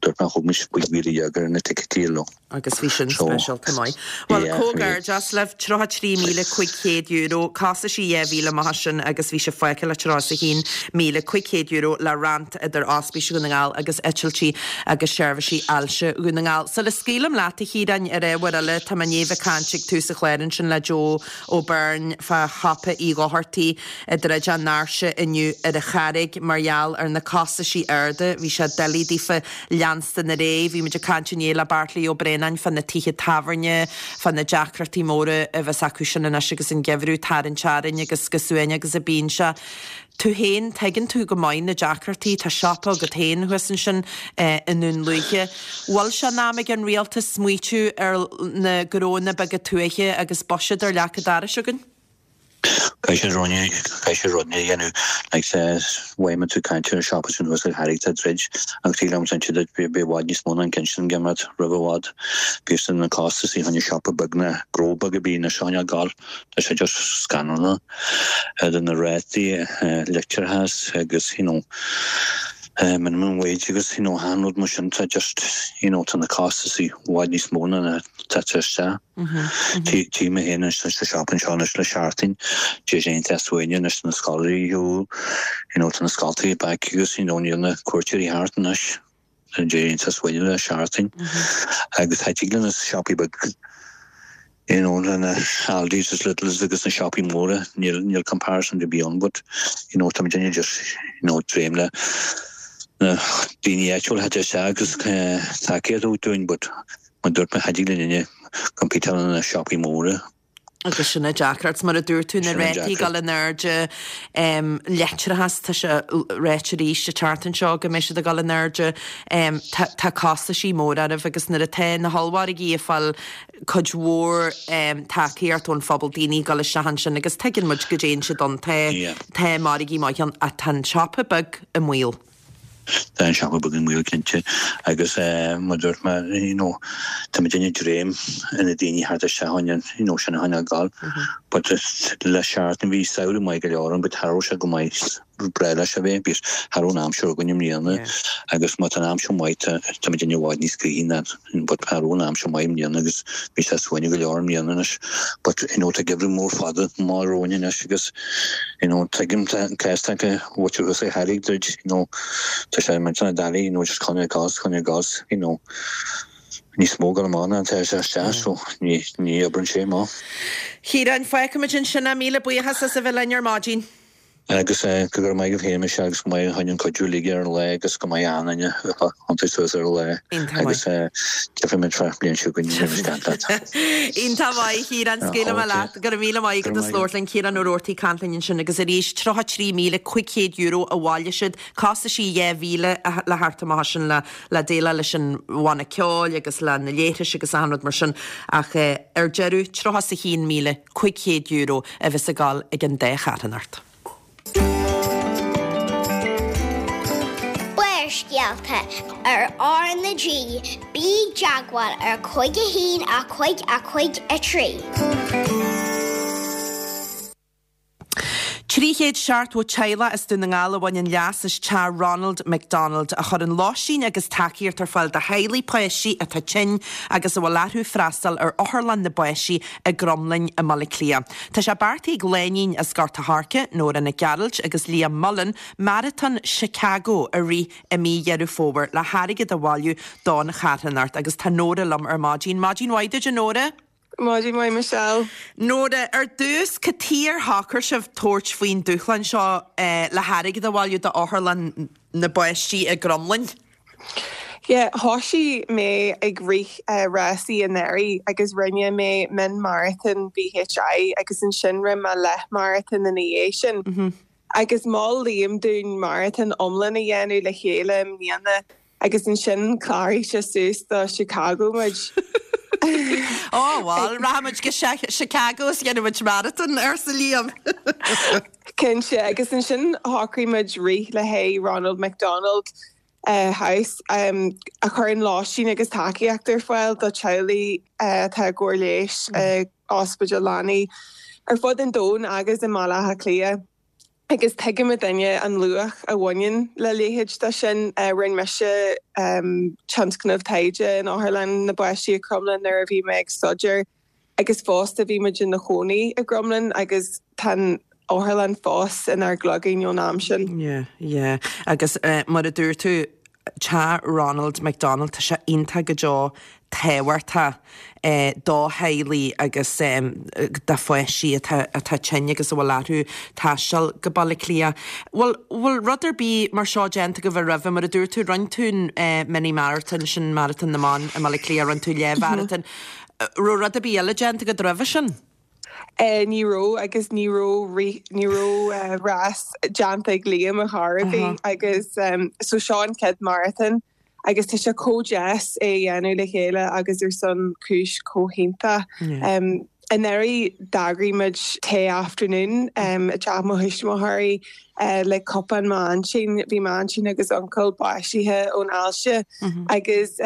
dúirt mé thug muid cúig mhíle dhéag ar na ticéidí leo. Agus bhí sin speisialta maith. Well comhghairdeas libh tríocha trí míle cúig chéad euro, costaisí dhá mhíle amach as sin agus bhí sé fágtha le tríocha a haon míle cúig chéad euro le roinnt idir Ospís Dhún na nGall agus Eitiltí agus Seirbhísí Ailse Dhún na nGall. Sula scaoilim leat a Chiaráin ar ábhar eile tá mé i ndiaidh bheith ag caint ag tús an chláir ansin le Joe Ó Beirn fá shiopa Uí Dhochartaigh ag druid a ndoirse inniu ar an Charraig mar gheall ar na costaisí arda. Bhí sé doiligh daofa leanacht leanstan ar aghaidh. Bhí muid ag caint inné le Beairtlí Ó Braonáin fá na tithe tábhairne, fá na deacrachtaí móra a bheas acu sin anois agus an geimhreadh ag tarraingt orainn agus go suain agus a bíonn sé. Tú féin, tuigeann tú go maith na deacrachtaí, tá siopa agat féin thuas ansin i nDún Lúiche. Bhfuil sé in am ag an rialtas smaoitiú ar na gnóanna beaga tuaithe agus buiséad ar leac an dorais againn? Caithfidh siad caithfidh siad rudaí a dhéanamh like mhaith tú caint ar siopa sin thuas ag Harry tá druid agus tí liom sin siad bhí i bhfad níos mó ná an ceann sin geimread roimh i bhfad. Bhí na costas i choinne siopa beag na gnó beag a bhí na seo gal Tá sé just scannalach idir na rátaí leictreachais agus you know minimum wage agus you know achan rud mar sin tá just you know tá na costais i bhfad níos mó ná na tá isteach. Tí mé féin anois sa siopa anseo anois le seachtain Dé déanta as uaine anois na scoláirí you know tá na scoltaí back agus you know níl na cuairteoirí thart anois. Dé as uaine le seachtain agus thig le na siopaí beag you know na Aldi's is Lidl's agus na siopaí móra níl níl comparison to be on but you know tá duine just you know dréim le na daoine áitiúla isteach agus tacaíocht dúinn but mar dúirt mé thig le duine compete le na siopaí móra. Agus sin an deacracht mar a dúirt tú na rátaí ag dul in airde leictreachas tá sé ráite arís an tseachtain seo go mbeidh siad ag dul in airde tá costaisí mór oraibh agus nuair atá na hollmhargaí ag fáil cuid mhór tacaíocht ón phobal daoine ag dul isteach ansin agus tuigeann muid go dtéann siad ann tá tá margaí maith ann ach tá an siopa beag i mbaol. Tá an siopa beag i mbaol cinnte agus mar dúirt mé you know tá muid ag dréim ina daoine thart isteach an you know sin a tháinig gal but le seachtain bhí samhradh maith go leor ann but cha raibh sé go maith breá leis a bheith bhí cha raibh an aimsir againn i mbliana agus má tá an aimsir maith tá tá muid i bhfad níos gnaithí ná but cha raibh an aimsir maith i mbliana agus bhí sé suain go leor i mbliana anois but you know tá geimhreadh mór fada amach romhainn anois agus you know tuigim tá an cás acu what you say Harry did you know tá sé mar na dalí you know just coinne gas coinne gas you know níos mó go amach ná tá sé isteach so ní ní oibreann sé má. Ciarán, fágfaimid ansin é míle buíochas as a bheith linn ar maidin. Agus go raibh maith agat féin Michelle agus go maith an cuidiú uilig ar an lá agus go maith an-duine thiontaigh suas ar an lá agus tiocfaimid fá bliain seo chugainn roimh an leat. Iontach maith Ciarán scaoilfidh mé leat go raibh míle maith agat as labhairt linn Ciarán Ó Roarty ag caint linn ansin agus arís tríocha trí míle cúig chéad euro a bhailigh siad costaisí dhá mhíle le theacht amach sin le le déileáil leis an bhanna ceoil agus le na léithris agus achan rud mar sin ach ar deireadh tríocha is a haon míle cúig chéad euro a bheas ag dul ag an dá charthanacht. Barrscéalta ar R na G, bí i dteagmháil ar cúig a haon a cúig a cúig a trí. Trí chéad seachtó teaghlach as Dún na nGall a bhaineann leas as Teach Ronald McDonald, a chuireann lóistín agus tacaíocht ar fáil do theaghlaigh páistí atá tinn agus a bhfuil orthu freastal ar Otharlann na bPáistí i gCromghlinn i mBaile Átha Cliath. Tá sé beartaithe ag lánúin as Gort a' Choirce, Nóra Nic Gearailt agus Liam Mullen, Maratón Chicago a rith i mí Dheireadh Fómhair le hairgead a bhailiú don charthanacht agus tá Nóra liom ar maidin. Maidin mhaith duit a Nóra! Maidin mhaith Michelle. Nóra, ar dtús, cad chuige ar shocraigh sibh tabhairt faoin dúshlán seo le hairgead a bhailiú d'Otharlann na bPáistí i gCromghlinn? Yeah, thosaigh mé ag rith rásaí anuraidh agus rinne mé mion-marathon VHI agus ansin rinne mé leath-marathon ina dhiaidh sin. Agus mhol Liam dúinn maratón iomlán a dhéanamh le chéile i mbliana agus ansin chláraigh sé suas do Chicago muid. Ó bhuel, rachaimid go Chicago is dhéanfaimid maratón, arsa Liam. Cinnte, agus ansin shocraigh muid rith le haghaidh Ronald McDonald House a chuireann lóistín agus tacaíocht ar fáil do teaghlaigh atá i gcóir leighis i ospidéal leanaí ar fud an domhain agus i mBaile Átha Cliath. Agus tuigimidne an luach a bhaineann le leithéid de sin. Rinne mise tionscnamh taighde in Otharlann na bPáistí i Cromghlinn nuair a bhí mé ag staidéar agus fosta bhí muid ina chónaí i gCromghlinn agus tá an otharlann fós inár gcloigne ón am sin. Yeah, yeah. Agus mar a dúirt tú, Teach Ronald McDonald, tá sé iontach go deo tábhachtach do theaghlaigh agus do pháistí atá atá tinn agus a bhfuil orthu taisteal go Baile Átha Cliath. Bhfuil bhfuil rud ar bith mar seo déanta agaibh roimhe, mar a dúirt tú, rinne tú an mini marathon, sin maratón na mban i mBaile Átha Cliath, rinne tú leathmharatón. Raibh rud ar bith eile déanta agat roimhe sin? Ní raibh agus ní raibh ní raibh rás déanta ag Liam ar chor ar bith agus so seo an chéad marathon agus tá sé chomh deas é a dhéanamh le chéile agus ar son cúis chomh hiontach. Anuraidh d'eagraigh muid tae afternoon i dteach mo thuismitheoirí le cupán m'aintín. Bhí m'aintín agus uncail básaithe ón ailse agus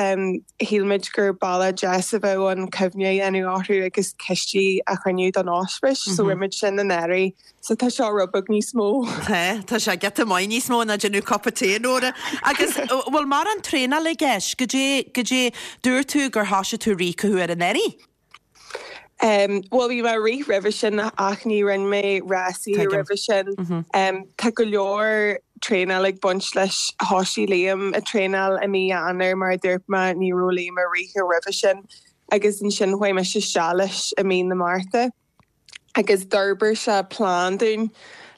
shíl muid gur bealach deas a bheadh ann cuimhne a dhéanamh orthu agus cistí a chruinniú don ospís. So rinne muid sin anuraidh. So tá seo rud beag níos mó. Tá, tá sé giota maith níos mó ná déanamh cupa tae, Nóra. Agus bhfuil mórán traenála i gceist? Goidé, goidé, dúirt tú gur thosaigh tú rith cá huair anuraidh? Bhuel bhí mé ag rith roimhe sin ach ní rinne mé rásaí roimhe sin. Tá go leor traenáil ag baint leis. Thosaigh Liam ag traenáil i mí Eanáir mar a dúirt mé ní raibh Liam ag rith roimhe sin agus ansin chuaigh mise isteach leis i mí na Márta agus d'fhorbair sé plean dúinn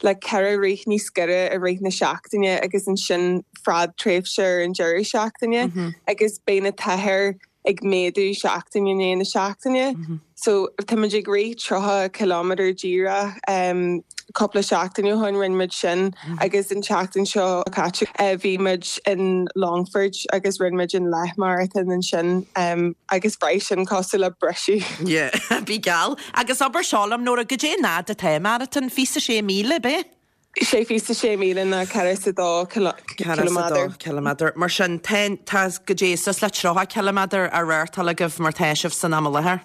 le ceithre rith níos giorra i rith na seachtaine agus ansin fadtréimhse ar an deireadh seachtaine agus beidh na tuathair ag méadú seachtain i ndiaidh na seachtaine. So táimid ag rith tríocha ciliméadar díreach cúpla seachtain ó shin rinne muid sin agus an tseachtain seo caite bhí muid in Longford agus rinne muid an leath marathon ansin agus bhraith sin cosúil le briseadh. Yeah, bhí geall. Agus abair seo liom Nóra, goidé an fhad atá i marathon, fiche 's a sé míle, ab é? Sé fiche 's a sé míle ná ceithre 's a dó ciliméadar. Ciliméadar. Mar sin, tá, tá goidé suas le tríocha ciliméadar á reáchtáil agaibh mar tá sibh san am i láthair.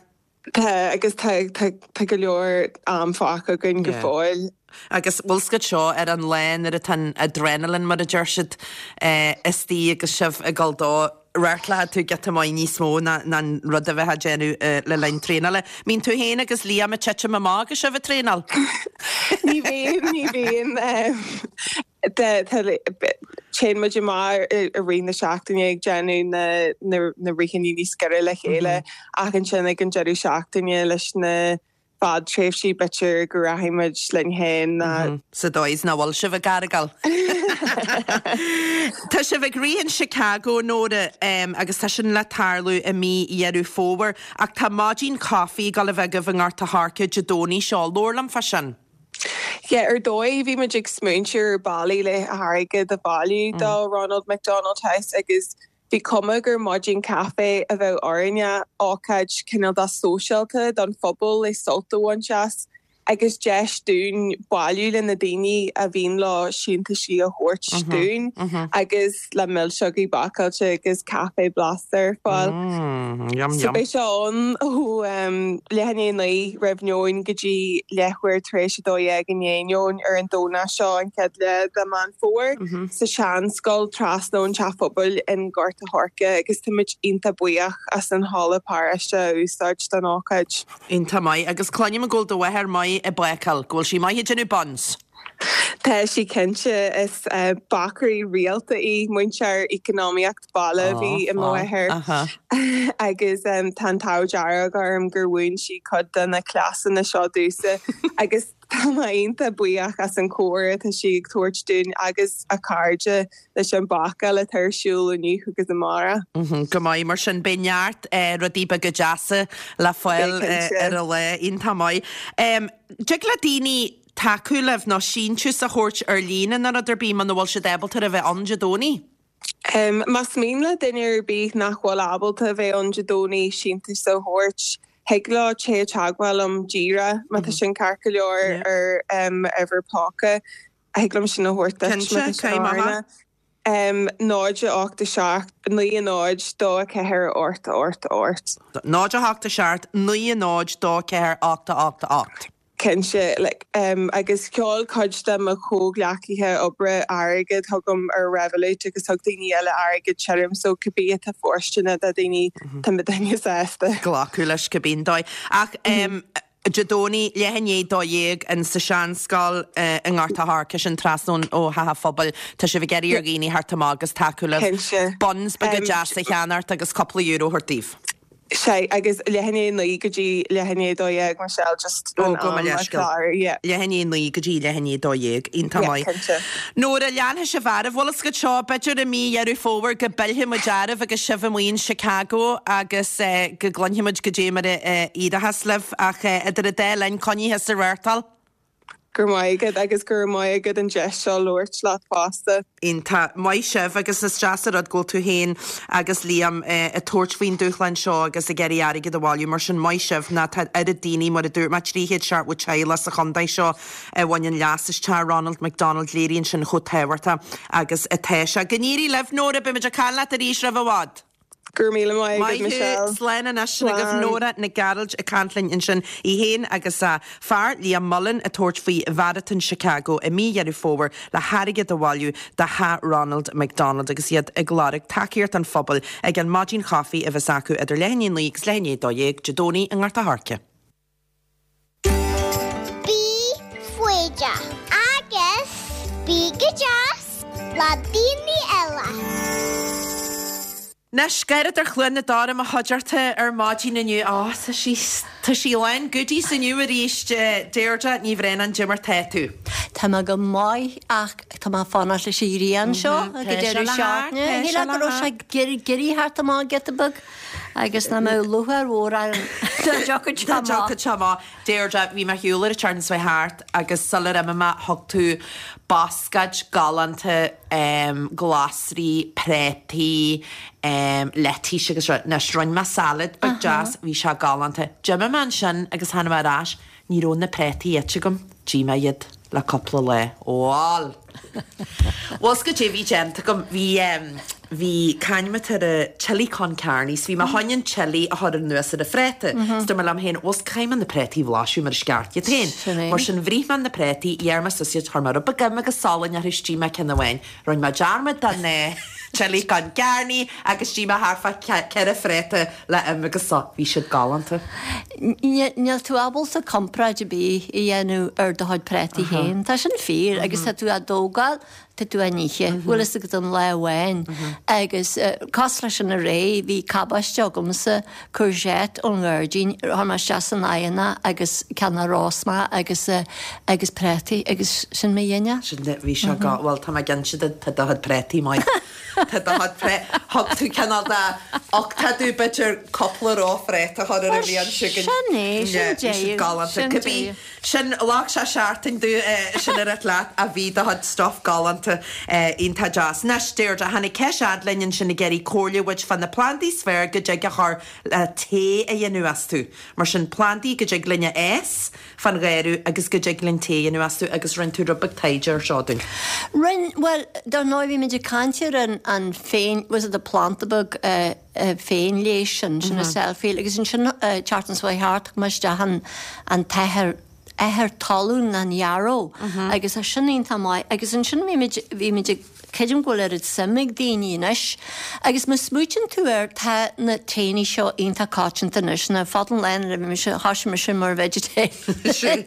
Tá, agus tá, tá, tá go leor am fágtha againn go fóill. Agus bhfuil 's agat seo ar an lá nuair atá an adrenaline mar a deir siad istigh agus sibh ag dul dó, reáchtálfaidh tú giota maith níos mó ná an rud a bheifeá ag déanamh le linn traenála. Mbíonn tú féin agus Liam ag titim amach agus sibh ag traenáil? Ní bhíonn, ní bhíonn. Téann muid amach i rith na seachtaine ag déanamh na na ritheanna níos giorra le chéile ach ansin ag an deireadh seachtaine leis na fadtréimhsí b'fhéidir go rachaidh muid linn féin ná. Sa dóigh is nach bhfuil sibh ag gargáil. Tá sibh ag rith in Chicago, Nóra, agus tá sin le tarlú i mí Dheireadh Fómhair, ach tá maidin caife ag dul a bheith agaibh i nGort a' Choirce Dé Domhnaigh seo. Labhair liom fá sin. Yeah, ar dóigh bhí muid ag smaointiú ar bealaí le hairgead a bhailiú do Ronald McDonald House agus bhí cuma gur maidin caife a bheadh orainne, ócáid cineál de sóisialta don phobal le sult a bhaint as agus deis dúinn bailiú le na daoine a bhíonn leo síntiúisí a thabhairt dúinn agus le milseogaí bácáilte agus caife blasta ar fáil. So beidh sé ann ó leath i ndiaidh a naoi roimh neoin go dtí leathuair tar éis a dó dhéag i ndiaidh neoin ar an Domhnach seo, an chéad lá de Meán Fómhair, sa Seanscoil trasna ón Teach Pobail in Gort a' Choirce agus táimid iontach buíoch as an halla paráiste a úsáid don ócáid. Iontach maith. Agus cluinim go bhfuil do mháthair maith ag bácáil, go bhfuil sí maith ag déanamh buns. Tá sí cinnte. Is bácaire rialta í. Múinteoir eacnamaíocht baile a bhí i mo mháthair agus tá an t-ádh dearg orm gur mhúin sí cuid de na cleasanna seo domhsa agus tá mé iontach buíoch as an chomhairle atá sí ag tabhairt dúinn agus a cairde leis an bhácáil atá ar siúl inniu agus amárach. Go maith mar sin. Beidh neart rudaí beaga deasa le fáil ar an lá. Iontach maith. Dtig le daoine tacú libh nó síntiús a thabhairt ar líne nó rud ar bith muna bhfuil siad ábalta a bheith ann Dé Domhnaigh? Más mian le duine ar bith nach bhfuil ábalta a bheith ann Dé Domhnaigh síntiús a thabhairt, thig leo téigh i dteagmháil liom díreach má tá sin ceart go leor ar m'uimhir póca. Thig liom sin a thabhairt duit má tá sin oiriúnach. náid a hocht a seacht, naoi a náid, dó a ceathair, ocht a ocht a ocht. náid a hocht a seacht, naoi a náid, dó a ceathair, ocht a ocht a ocht. Cinnte, like, agus sheol cuid de mo chomhghleacaithe oibre airgead chugam ar Revolut agus thug daoine eile airgead tirim, so cibé atá fóirsteanach do daoine, tá muidinne sásta. Glacadh leis cibé an dóigh. Ach Dé Domhnaigh, leath i ndiaidh dó dhéag in sa Seanscoil i nGort a' Choirce, sin trasna ó Theach an Phobail. Tá sibh ag iarraidh ar dhaoine theacht amach agus tacú libh. Cinnte. Buns beaga deasa a cheannacht agus cúpla euro a thabhairt daoibh. Sea, agus leath i ndiaidh a naoi go dtí leath i ndiaidh a dó dhéag, Michelle, just Ó, an gabh mo am a leithscéal. chlár, yeah. Leath i ndiaidh a naoi go dtí leath i ndiaidh a dó dhéag. Iontach Yeah, maith. cinnte. Nóra, leanfaidh sibh oraibh, bhfuil fhios agat seo, b'fhéidir i mí Dheireadh Fómhair go bpillfidh muid oraibh agus sibh amuigh in Chicago agus go gcluinfidh muid goidé mar a éireochas libh ach idir an dá linn, coinnigh thusa ag reáchtáil. Go raibh maith agat agus go raibh maith agat an deis seo labhairt leat fosta. Iontach maith sibh agus is deas an rud go bhfuil tú féin agus Liam ag tabhairt faoin dúshlán seo agus ag iarraidh airgead a bhailiú mar sin maith sibh ná tá oiread daoine mar a dúirt mé trí chéad seachtó teaghlach sa chontae seo a bhaineann leas as teach Ronald McDonald léiríonn sin chomh tábhachtach agus atá sé. Go n-éirí libh Nóra beimid ag caint leat arís roimh i bhfad. Go raibh míle maith agat Maith thú, Michelle. slán anois sin agaibh Slán. Nóra Nic Gearailt ag caint linn ansin í féin agus a fear Liam Mullen ag tabhairt faoi Mharatón Chicago i mí Dheireadh Fómhair le hairgead a bhailiú do theach Ronald McDonald agus iad ag lorg tacaíocht an phobail ag an maidin chaife a bheas acu idir leath i ndiaidh a naoi agus leath i ndiaidh a dó dhéag Dé Domhnaigh i nGort a' Choirce. Bí foighdeach agus bí go deas le daoine eile. Anois gairid ar Chluain na Dara mo chuideachta ar maidin inniu á tá sí tá sí lán goodies inniu arís Deirdre Ní Bhraonáin goidé mar tá tú. Tá mé go maith ach tá mé fanacht leis an ghrian seo go deireadh seachtaine. Shíl go raibh sé géirí thart amach giota beag agus ná mé lúcháir mhór ar Tá se má Deirdre bhí mé shiúl ar an tseachtain seo thart agus sular imigh mé thug tú bascaid galánta um, glasraí, préataí, um, leitís agus rud. Anois rinne mé salad beag deas, bhí sé galánta. D'imigh mé ansin agus tháinig mé ar ais, ní raibh na préataí ite agam, d'ith mé iad le cúpla lá. Bhal! Bhfuil goidé bhí déanta agam bhí um, bhí cainmetar a chili con carne, bhí mé chun an chili a chur anuas ar a phréata. Mm -hmm. Liom féin bhus caithfidh mé na préataí a bhlaiseadh mar is ceart iad féin. Sin é. Mar sin bhris mé na préataí, dhear mé suas iad chuir mé rud beag im agus salann orthu d'ith mé ceann amháin. Rinne mé dearmad den eh, chili con carne agus d'ith mé thart fá ceithre phréata le im agus so bhí siad galánta. Níl tú ábalta comparáid ar bith a dhéanamh ar do chuid préataí féin. Tá sin fíor agus tá tú á dtógáil tá tú á n-ithe, bhfuil fhios agat an lá amháin agus cosúil leis an aréir bhí cabáiste agamsa courgette ón ngairdín chuir mé isteach san oigheann agus ceann rosma agus agus préataí agus sin mé dhéine. Sin bhí sé go bhfuil tá mé cinnte tá do chuid préataí maith. Tá do chuid pré thug tú cineál de ach tá tú b'fhéidir cúpla róphréata chur ar a bhí an sin Sin é, sin deireadh, galánta. sin Cibé deireadh. sin leag sé seachtain dú sin ar leat a bhí do chuid stuff galánta iontach deas. Anois Deirdre tháinig ceist linn ansin ag iarraidh comhairle uait fá na plandaí is fearr go dtig a chur le tae a dhéanamh astu. Mar sin plandaí go dtig linn a fhás fan gharraí agus go dtig linn tae a dhéanamh astu agus rinne tú rud beag taighde ar seo dúinn. Rinne well dar ndóigh bhí muid ag caint ar an an féin was it a planta beag uh, uh, féinleigheas sin sin a self-heal agus ansin uh, tseachtain seo thart mar isteach an an t-ithir ithir talún an yarrow agus a sin iontach maith agus ansin bhí muid bhí muid ag creidim go bhfuil oiread suim ag daoine anois agus má smaoitíonn tú air tá na taenna seo iontach coitianta anois na fadlan le bhí mise thosaigh mise mar vegetarian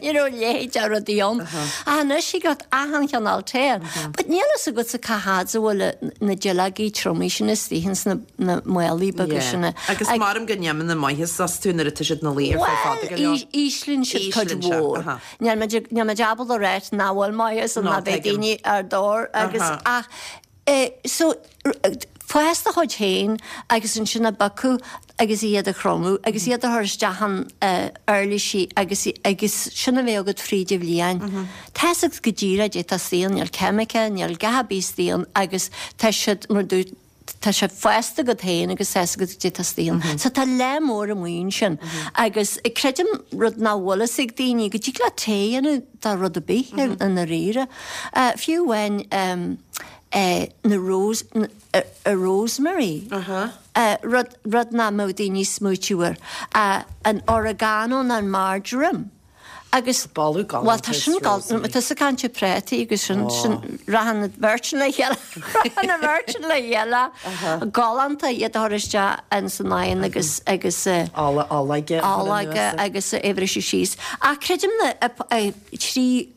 ní raibh leithéid de rudaí ann a anois i got achan chineál tae but níl fhios agat sa cá fhad a bhfuil na duilleogaí tromaí sin istigh ins na na málaí beaga sin Agus maram go ndéanann na maitheas astu nuair atá siad na luí ar feadh fada go leor. Íslíonn siad cuid Íslíonn siad, mhór. aha. Níl muid níl muid ábalta a rá nach bhfuil maitheas No, ná beidh tuigim. daoine ar dór agus Aha. ach eh, so fás do chuid féin agus ansin a bhacú agus iad a chromadh agus iad a chur isteach an uh, uirlisí agus agus sin a bheith agat fríd an bhliain. Tá agat go díreach tá saon níl ceimice, níl gabí saon agus tá siad mar dú tá sé fásta agat féin agus tá agat dé tá saon. So tá le mór amuin sin agus creidim rud nach bhfuil fhios ag daoine go dtig le tae a dhéanamh de rud ar bith mm -hmm. na ríre. Uh, fiú when um, uh, na rose, uh, uh, rosemary. Uh -huh. Uh, rud, rud nach mbeadh daoine smaoitiúir. Uh, an oregano an marjoram. Agus Boladh Bhuel tá sin galánta, tá sa caint ar prátaí agus sin sin raghann na beirt sin le chéile raghann na beirt sin le chéile galánta iad a chur isteach ins an oigheann agus agus Ola olóige a chur olóige anuas. agus é a bhriseadh síos. Ach creidim na trí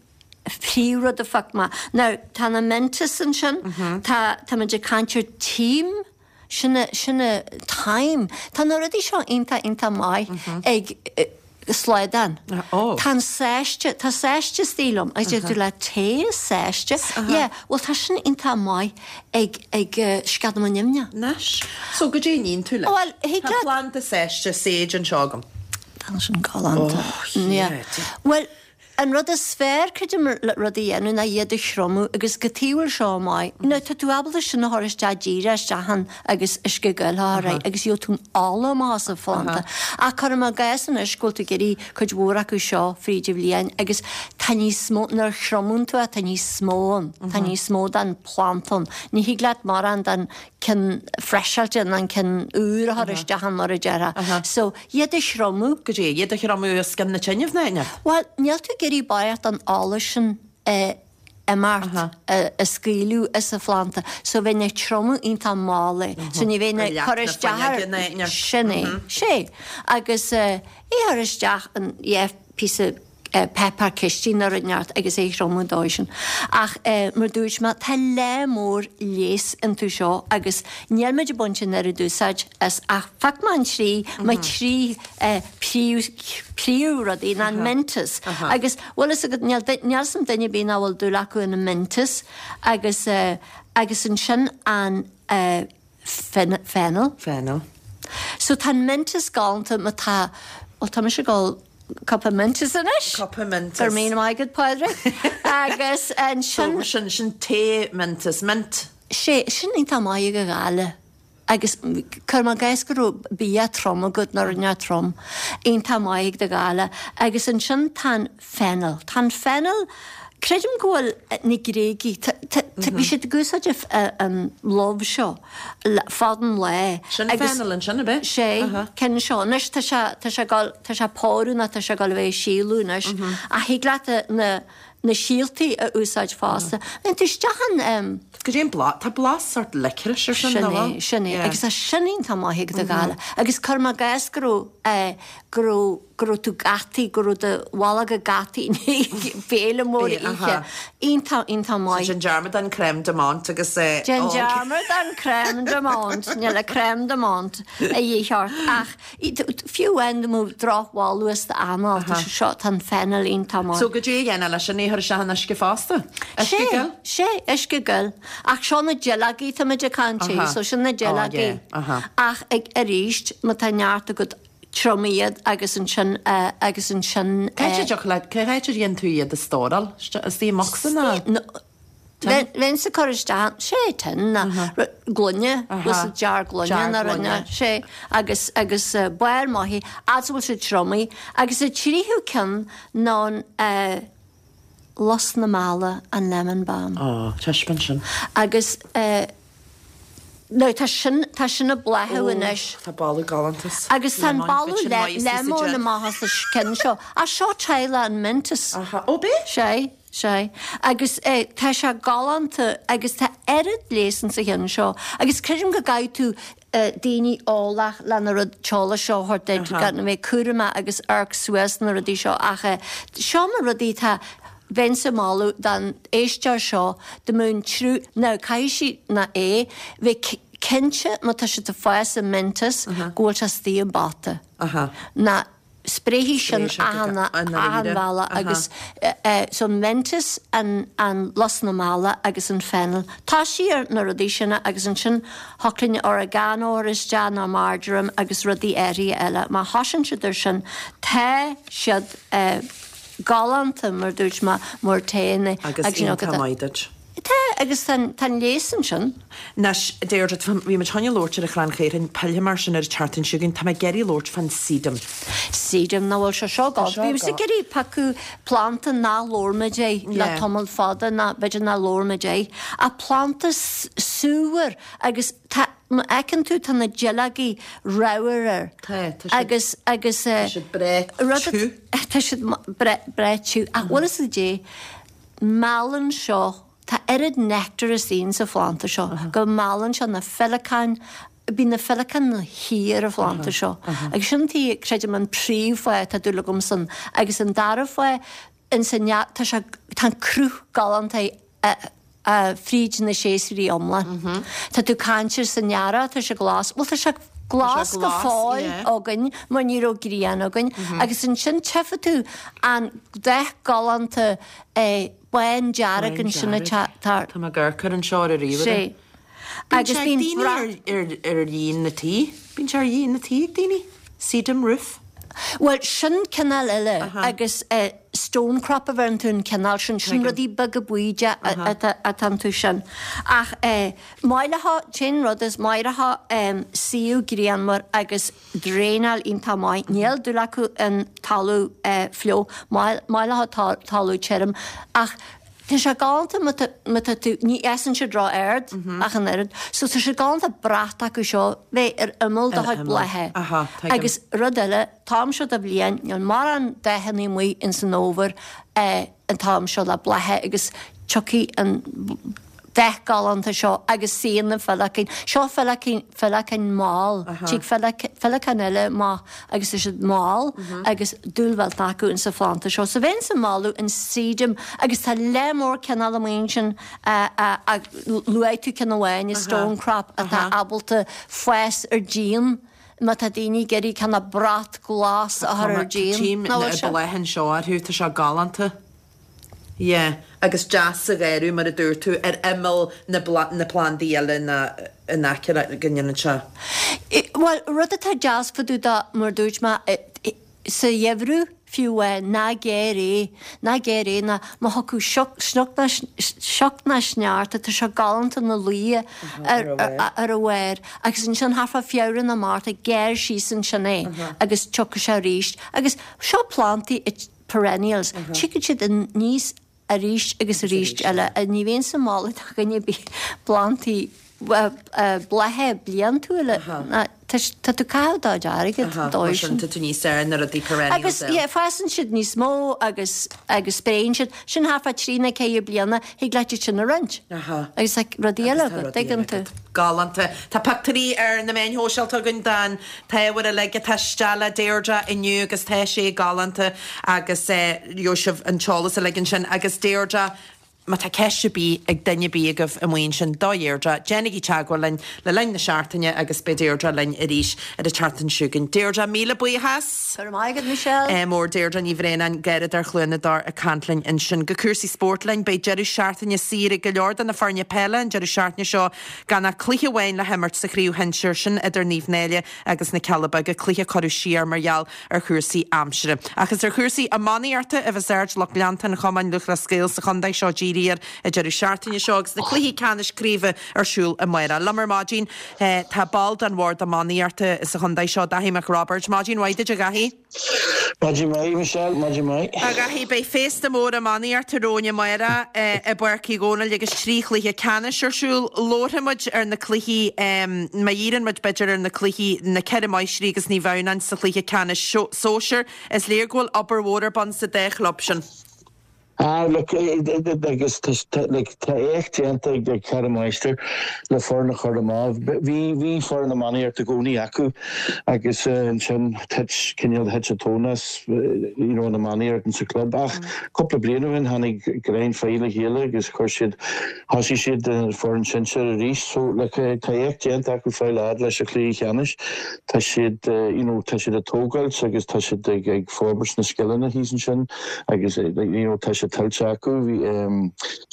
phríomhrud a phioc mé. Now tá na Mentos ansin, tá tá muid ag caint ar tím, sin a sin a thyme. Tá na rudaí seo iontach iontach maith ag slaghdán. Ó. Tá an sáiste, tá sáiste istigh liom agus deir tú le tae sáiste. Yeah, bhuel tá sin iontach maith ag ag sceadamán nimhneach. Anois. So goidé a níonn tú leis? Bhuel, thig Tá leat- planda sáiste sage anseo agam. Tá sin galánta. Oh, Yeah. yeah. Bhuel, an rud is fearr creidim le rud a dhéanamh ná iad a thriomú agus go bhfuil seo maith. Now tá tú ábalta sin a chur isteach díreach isteach ann agus uisce gil a chur air agus gheobhaidh tú an ola amach as an phlanda. Ach cuirim i gcás anois go bhfuil tú ag iarraidh cuid mhór acu seo fríd an bhliain agus tá níos mó nuair a thriomaíonn tú é tá níos mó ann, tá níos mó den phlanda ann. Ní thig leat mórán den cinn freiseáilte ná an cinn úr a chur isteach ann mar a déarfá. So iad a thriomú. Goidé, iad a thriomú os cionn na tine ná aon Bhuel, níl tú ag iarraidh barraíocht an ola sin imeacht a scaoileadh as an phlanda, so bheinn ag triomú iontach mall é. So ní bheinn ag cur isteach ar sin é, sé. Agus é a chur isteach an yeah, píosa páipéar cistine nó rud inteacht agus é a thriomú dóigh sin. Ach mar dúirt mé, tá lear mór leigheas iontu seo agus níl muid ag baint an oiread úsáid as ach phioc mé an trí, mo trí príomh príomhrudaí ná an Mentos. Agus bhfuil fhios agat níl níl 'fhios a'm duine ar bith nach bhfuil dúil acu ina Mentos agus agus ansin an fennel. Fennel. So tá an Mentos galánta má tá, bhuel tá mise ag ól cupa Mentos anois. Cupa Mentos. Go raibh míle maith agat Pádraig. Agus ansin. So sin sin tae Mentos, mint. Sé, sin iontach maith ag an ghála. Agus cuirim i gcás go raibh bia trom agat nó rud inteacht trom, iontach maith ag do ghála. Agus ansin tá an fennel. Tá an fennel, creidim go bhfuil na Gréagaigh, bhí siad ag úsáid an lubh seo fad an lae. Sin fennel ansin, ab é? Sé, ceann seo. Anois tá sé, tá sé ag tá sé ag pórú nó tá sé ag dul a bheith ag síolú anois. Ach thig leat na, na síoltaí a úsáid fosta. Bheinn tú isteach an. Goidé an blas, tá blas sort licorice ar sin, Sin é, sin é. Agus tá sin iontach maith ag do ghála. Agus cuirim i gcás go raibh, go raibh, go raibh tú gataithe, go raibh do bholg gataithe i ndiaidh béile mór a ithe. Iontach, iontach maith. So déan dearmad den crème de menthe agus eh. Déan dearmad den crème de menthe, níl a crème de menthe a dhíth ort ach fiú amháin dá mbeadh drochbholadh as d'anáil, tá sé seo, tá an fennel iontach maith. So goidé a dhéanfá leis sin, é a chur isteach in uisce fosta? Uisce gil? Sé, uisce gil. Ach seo na duilleogaí tá muid ag caint air, so sin na duilleogaí. Ach ag arís, má tá neart agat, triomaigh iad agus ansin agus ansin. Cá háit a dtiocfadh leat, cá háit a dhéanann tú iad a stóráil? Istigh i mbocsa nó? Bheinnse ag cur isteach, sé tin nó gloine, bhfuil jar gloine nó rud inteacht, sé agus agus barr maith, fhad is a bhfuil siad triomaithe agus an tríú ceann ná an lus na meala, an lemon balm. Ó, taispeáin sin. Agus now tá sin, tá sin ag bláthú anois. Tá boladh galánta. Agus tá an boladh lemon amach as an ceann seo. Ach seo teaghlach an Mentos. Aha, ó b'é? Sé, sé. Agus tá sé galánta agus tá oiread leigheas insa cheann seo. Agus creidim go gcaithfidh tú daoine eolach lena rud t-eolas seo a thabhairt duit, gan a bheith cúramach agus amharc suas na rudaí seo ach seo na rudaí atá Bheinnse ag moladh don éisteoir seo dá mbeadh an triú, now caithfidh sí ná é, bheith cinnte má tá siad ag fás an Mentos go bhfuil sé istigh i bpota. Ná spréifidh sin achan achan bhealach agus so an Mentos, an an lus na meala agus an fennel. Tosaigh ar na rudaí sin agus ansin thiocfadh linn oregano a chur isteach nó marjoram agus rudaí áirithe eile. Má thosaíonn siad ar sin tá siad galánta, mar dúirt mé, mar tae Agus iontach maith duit. Tá, agus tá an leigheas ansin. Anois, Deirdre, bhí muid chun labhairt ar an chrann caorthainn, pillfidh mé air sin ar an tseachtain seo chugainn, tá mé ag iarraidh labhairt fán sedum. Sedum, nach bhfuil sé seo galánta. Bhí mise ag iarraidh piocadh planda nach labhair muid air le tamall fada, ná b'fhéidir nach labhair muid air, ach planda súmhar agus tá má fheiceann tú tá na duilleogaí ramhar air. Tá, tá siad. Agus, agus. Tá siad breá tiubh. Tá siad breá tiubh. Ach bhfuil fhios a'd dé, meallann seo, tá oiread nectar istigh sa phlanda seo, go meallann seo na féileacáin, bíonn na féileacáin ina suí ar an phlanda seo. Agus sin tí, creidim, an príomhfháth atá dúil agamsa ann. Agus an dara fáth, ins an, tá sé, tá an cruth galánta fríd na séasúirí iomlán. Tá tú caint ar san earrach, tá sé glas, bhuel tá sé glas go fóill againn mar ní raibh grian againn agus ansin tchífidh tú an dath galánta bándearg ansin atá. Tá mé ag amharc air anseo ar an ríomhaire. Sé. Bíonn Agus sé ag bíonn daoine brat. ar ar dhíon na tí. Bíonn sé ar dhíon na tí ag daoine. Sedum roof. Bhuel, sin cineál eile agus stonecrop a bheireann tú an cineál sin, sin rudaí beaga buí de atá iontu sin. Ach maith leo, t-aon rud is maith leo suíomh grianmhar agus draenáil iontach maith. Níl dúil acu in talamh fliuch, maith leo talamh tirim ach Tá sé galánta má tá tú, ní fhásann siad ró-ard ach an oiread, so tá sé galánta brat acu seo bheith ar imeall do chuid blátha. Agus rud eile, t-am seo de bhliain, níl mórán dathanna amuigh ins an fhómhar an t-am seo le blátha agus tiocfaidh an dath galánta seo agus suíonn na féileacáin. Seo féileacáin, féileacáin mall. Tig féileacáin eile amach agus tá siad mall agus dúil mhillteanach acu insa phlanda seo. So bheinnse ag moladh an sedum agus tá lear mór cineál amuigh ansin a luaigh tú ceann amháin, an stonecrop atá ábalta fás ar díon má tá daoine ag iarraidh cineál brat glas a chur ar díon. Tchím Nach na bhfuil sé? blátha anseo orthu, tá sé galánta. Yeah, agus deas sa gharradh, mar a dúirt tú, ar imeall na na plandaí eile ná in aice le, go ndéanann sé. Bhuel, rud atá deas fá dtaobh de, mar a dúirt mé, sa gheimhreadh fiú amháin, ná gearr é, ná gearr é, ná má thiocfadh sioc, sioc ná sioc ná sneachta, tá sé galánta ina luí ar ar a bharr agus ansin thart fá Feabhra nó Márta, gearr síos ansin é agus tiocfaidh sé arís. Agus seo plandaí perennials, tiocfaidh siad aníos arís agus arís eile. Ní bheinnse ag moladh do dhuine ar bith plandaí blátha bliantúla, tá tú ag caitheamh do chuid airgid dóibh sin. Tá tú níos fearr na rudaí perennials Agus yeah, fásann siad níos mó agus agus spréann siad. Sin thart fá trí nó ceithre bliana, thig leat iad sin a roinnt. Agus tá rudaí eile agat, tuigeann tú. Galánta. Tá pictiúirí ar na meáin shóisialta againn den t-ábhar uilig atá istigh le Deirdre inniu agus tá sé galánta agus gheobhaidh sibh an t-eolas uilig ansin. Agus Deirdre, má tá ceist ar bith ag duine ar bith agaibh amuigh ansin do Dheirdre, déanaigí teagmháil linn le linn na seachtaine agus beidh Deirdre linn arís ar an tseachtain seo chugainn. Deirdre, míle buíochas! Go raibh maith agat, Michelle. Mór Deirdre Ní Bhraonáin, Garradóir Chluana Dobhair ag caint linn ansin. Go cúrsaí spóirt linn, beidh deireadh seachtaine saor ag go leor de na foirne peile an deireadh seachtaine seo gan ach cluiche amháin le himirt sa chraobh shinsir, sin idir Naomh Náille agus na Cealla Beaga, cluiche a cuireadh siar mar gheall ar chúrsaí aimsire. Ach is ar chúrsaí iománaíochta a bheas aird lucht leanta an Chumainn Lúthchleas Gael sa chontae seo dírithe air an deireadh seachtaine seo agus na cluichí ceannais craoibhe ar siúl amárach. Liom ar maidin tá ball den Bhord Iománaíochta sa chontae seo, Daithí Mac Roibeaird. Maidin mhaith duit, a Dhaithí. Maidin mhaith, Michelle, maidin mhaith. A Dhaithí, beidh féasta mór iománaíochta romhainn amárach i bPáirc Uí Dhónaill agus trí chluiche ceannais ar siúl. Labharfaidh muid ar na cluichí, má dhíríonn muid b'fhéidir ar na cluichí, na Ceithre Máistrí agus Naomh Adhamhnáin sa chluiche ceannais sóisir, is léir go bhfuil obair mhór ar bun sa dá chlub sin. Ah, look, agus like, tá éacht déanta ag Ceithre Máistir le foireann a chur amach. Bhí bhí foireann iománaíochta i gcónaí acu agus ansin thit cineál thit an tóin as you know, an iománaíocht sa club. Ach cúpla bliain ó shin tháinig Grein Fai le chéile agus chuir siad thosaigh siad an foireann sinsir arís. So like, tá éacht déanta acu fáil fhad leis an chluiche ceannais. Tá siad you know, tá siad ag tógáilt agus tá siad ag, ag forbairt na scileanna thíos ansin agus you know, tá siad tuillte acu.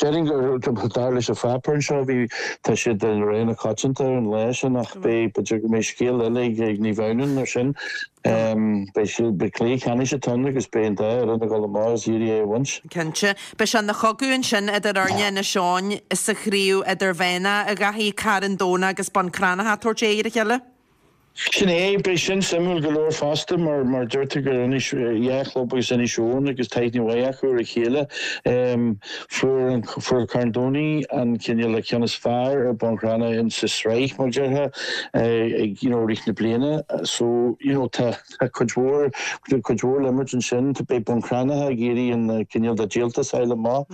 Déarfainn gur dar leis an pháipéar anseo bhí tá siad i rogha na coitianta ar an lá sin ach beidh b'fhéidir go mbeidh scéal eile ag Naomh Adhamhnáin mar sin. Beidh siad beidh cluiche ceannais atá ann agus beidh an dá fhoireann ag dul amach is iarraidh é a bhaint. Cinnte. Beidh sé ina chogadh ansin idir fhoirne Inis Eoghain sa chraobh idirmheánach, a Dhaithí, Carn Domhnach agus Bun Cranncha ag tabhairt aghaidh ar a chéile. Sin é, beidh sin suimiúil go leor fosta mar mar deirtear gur Inis, dhá chlub agus Inis Eoghain agus tá aithne mhaith acu ar a chéile. Fuair an fuair Carn Domhnaigh an cineál an ceann is fearr ar Bun Cranncha in sa sraith mar déarfá ag you know rith na bliana so you know tá tá cuid mhór cuid mhór le imirt ansin. Tá beidh Bun Cranncha ag iarraidh an cineál de díoltas a fháil amach.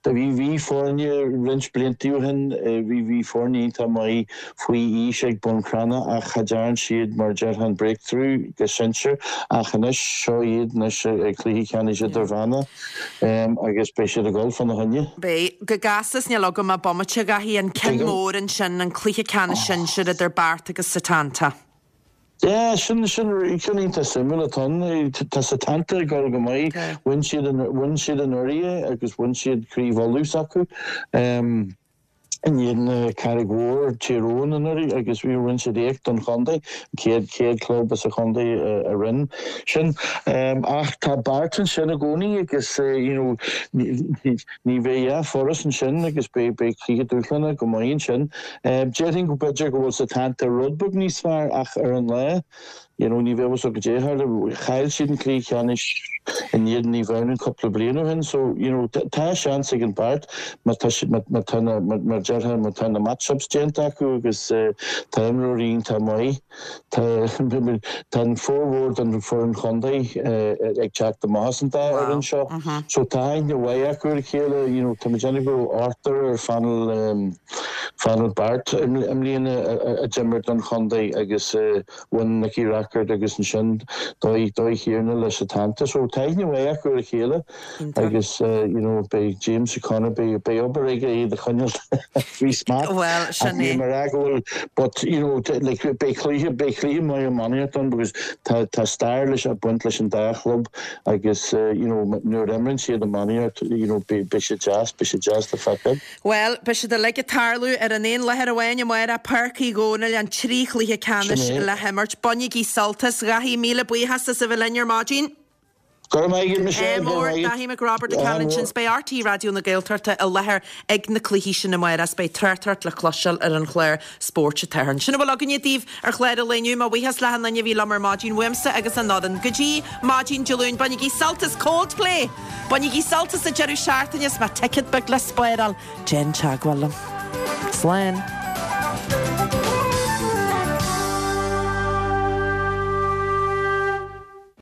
Do bhí bhí foirne roinnt blianta ó shin bhí bhí foirne iontach maith faoi aois ag Bun Cranncha ach cha dtearn siad mar déarfá an breakthrough go sinsir ach anois seo iad anois ag cluiche ceannais idirmheánach agus beidh siad ag dul fána choinne. Beidh. Go gasta is níl agam ach bomaite a Dhaithí, an ceann mór ansin, an cluiche ceannais sinsir idir Beart agus Setanta. Yeah, sin sin ceann iontach suimiúil atá ann. Tá Setanta ag dul go maith. Bhain siad an bhain siad anuraidh agus bhain siad craobh Uladh s'acu. In éadan Carraig Mhór, Tír Eoghain anuraidh agus bhí rinne siad éacht don chontae, an chéad chéad club as an chontae a rinne sin. Ach tá Beart ansin i gcónaí agus you know ní bheidh a dhath furast ansin agus beidh beidh cluiche dúshlánach go maith ansin. Déarfainn go b'fhéidir go bhfuil Setanta rud beag níos fearr ach ar an lá You know, ní bheadh a fhios agat goidé a tharla. Chaill siad an cluiche ceannais in éadan Naomh Adhamhnáin cúpla bliain ó shin so, you know, tá seans ag an Beart má tá siad, má tá na, mar déarfá, má tá na match-ups déanta acu agus tá imreoirí iontach maith. Tá, tá an formhór den foireann chontae ag teacht amach as an dá fhoireann seo so tá aithne mhaith acu ar a chéile, you know, tá mé ag déanamh go raibh ochtar ar phainéal, phainéal Beart i mbliana a d'imir don chontae agus bhain Nicky Rackard agus ansin Dáithí Kiernan le Setanta. So tá aithne mhaith acu ar a chéile agus you know beidh James O'Connor, beidh beidh obair aige iad a choinneáil faoi smacht. Bhuel, sin é. Ach níl mé ag rá go bhfuil but you know like beidh cluiche beidh cluiche maith iománaíocht ann because tá tá stair leis ag baint leis an dá chlub agus you know nuair a imríonn siad iománaíocht you know beidh beidh sé deas beidh sé deas le feiceáil. Bhuel, beidh siad uilig ag tarlú ar an aon láthair amháin amárach, Páirc Uí Dhónaill, an trí chluiche ceannais le himirt. Bainigí sult as. Dhaithí, míle buíochas as a bheith linn ar maidin. Go raibh maith agat, Michelle, go raibh maith agat. Dáithí Mac Roibeaird ag caint ansin. Beidh RTÉ Raidió na Gaeltachta i láthair ag na cluichí sin amárach is beidh tráchtaireacht le cloisteáil ar an chlár Spóirt atá ann. Sin a bhfuil againne daoibh ar chlár an lae inniu. Mo bhuíochas le achan duine a bhí liom ar maidin uaimse agus an fhoireann. Go dtí maidin Dé Luain, bainigí sult as Coldplay! Bainigí sult as an deireadh seachtaine is má tá ticéad beag le spáráil, déan teagmháil liom. Slán!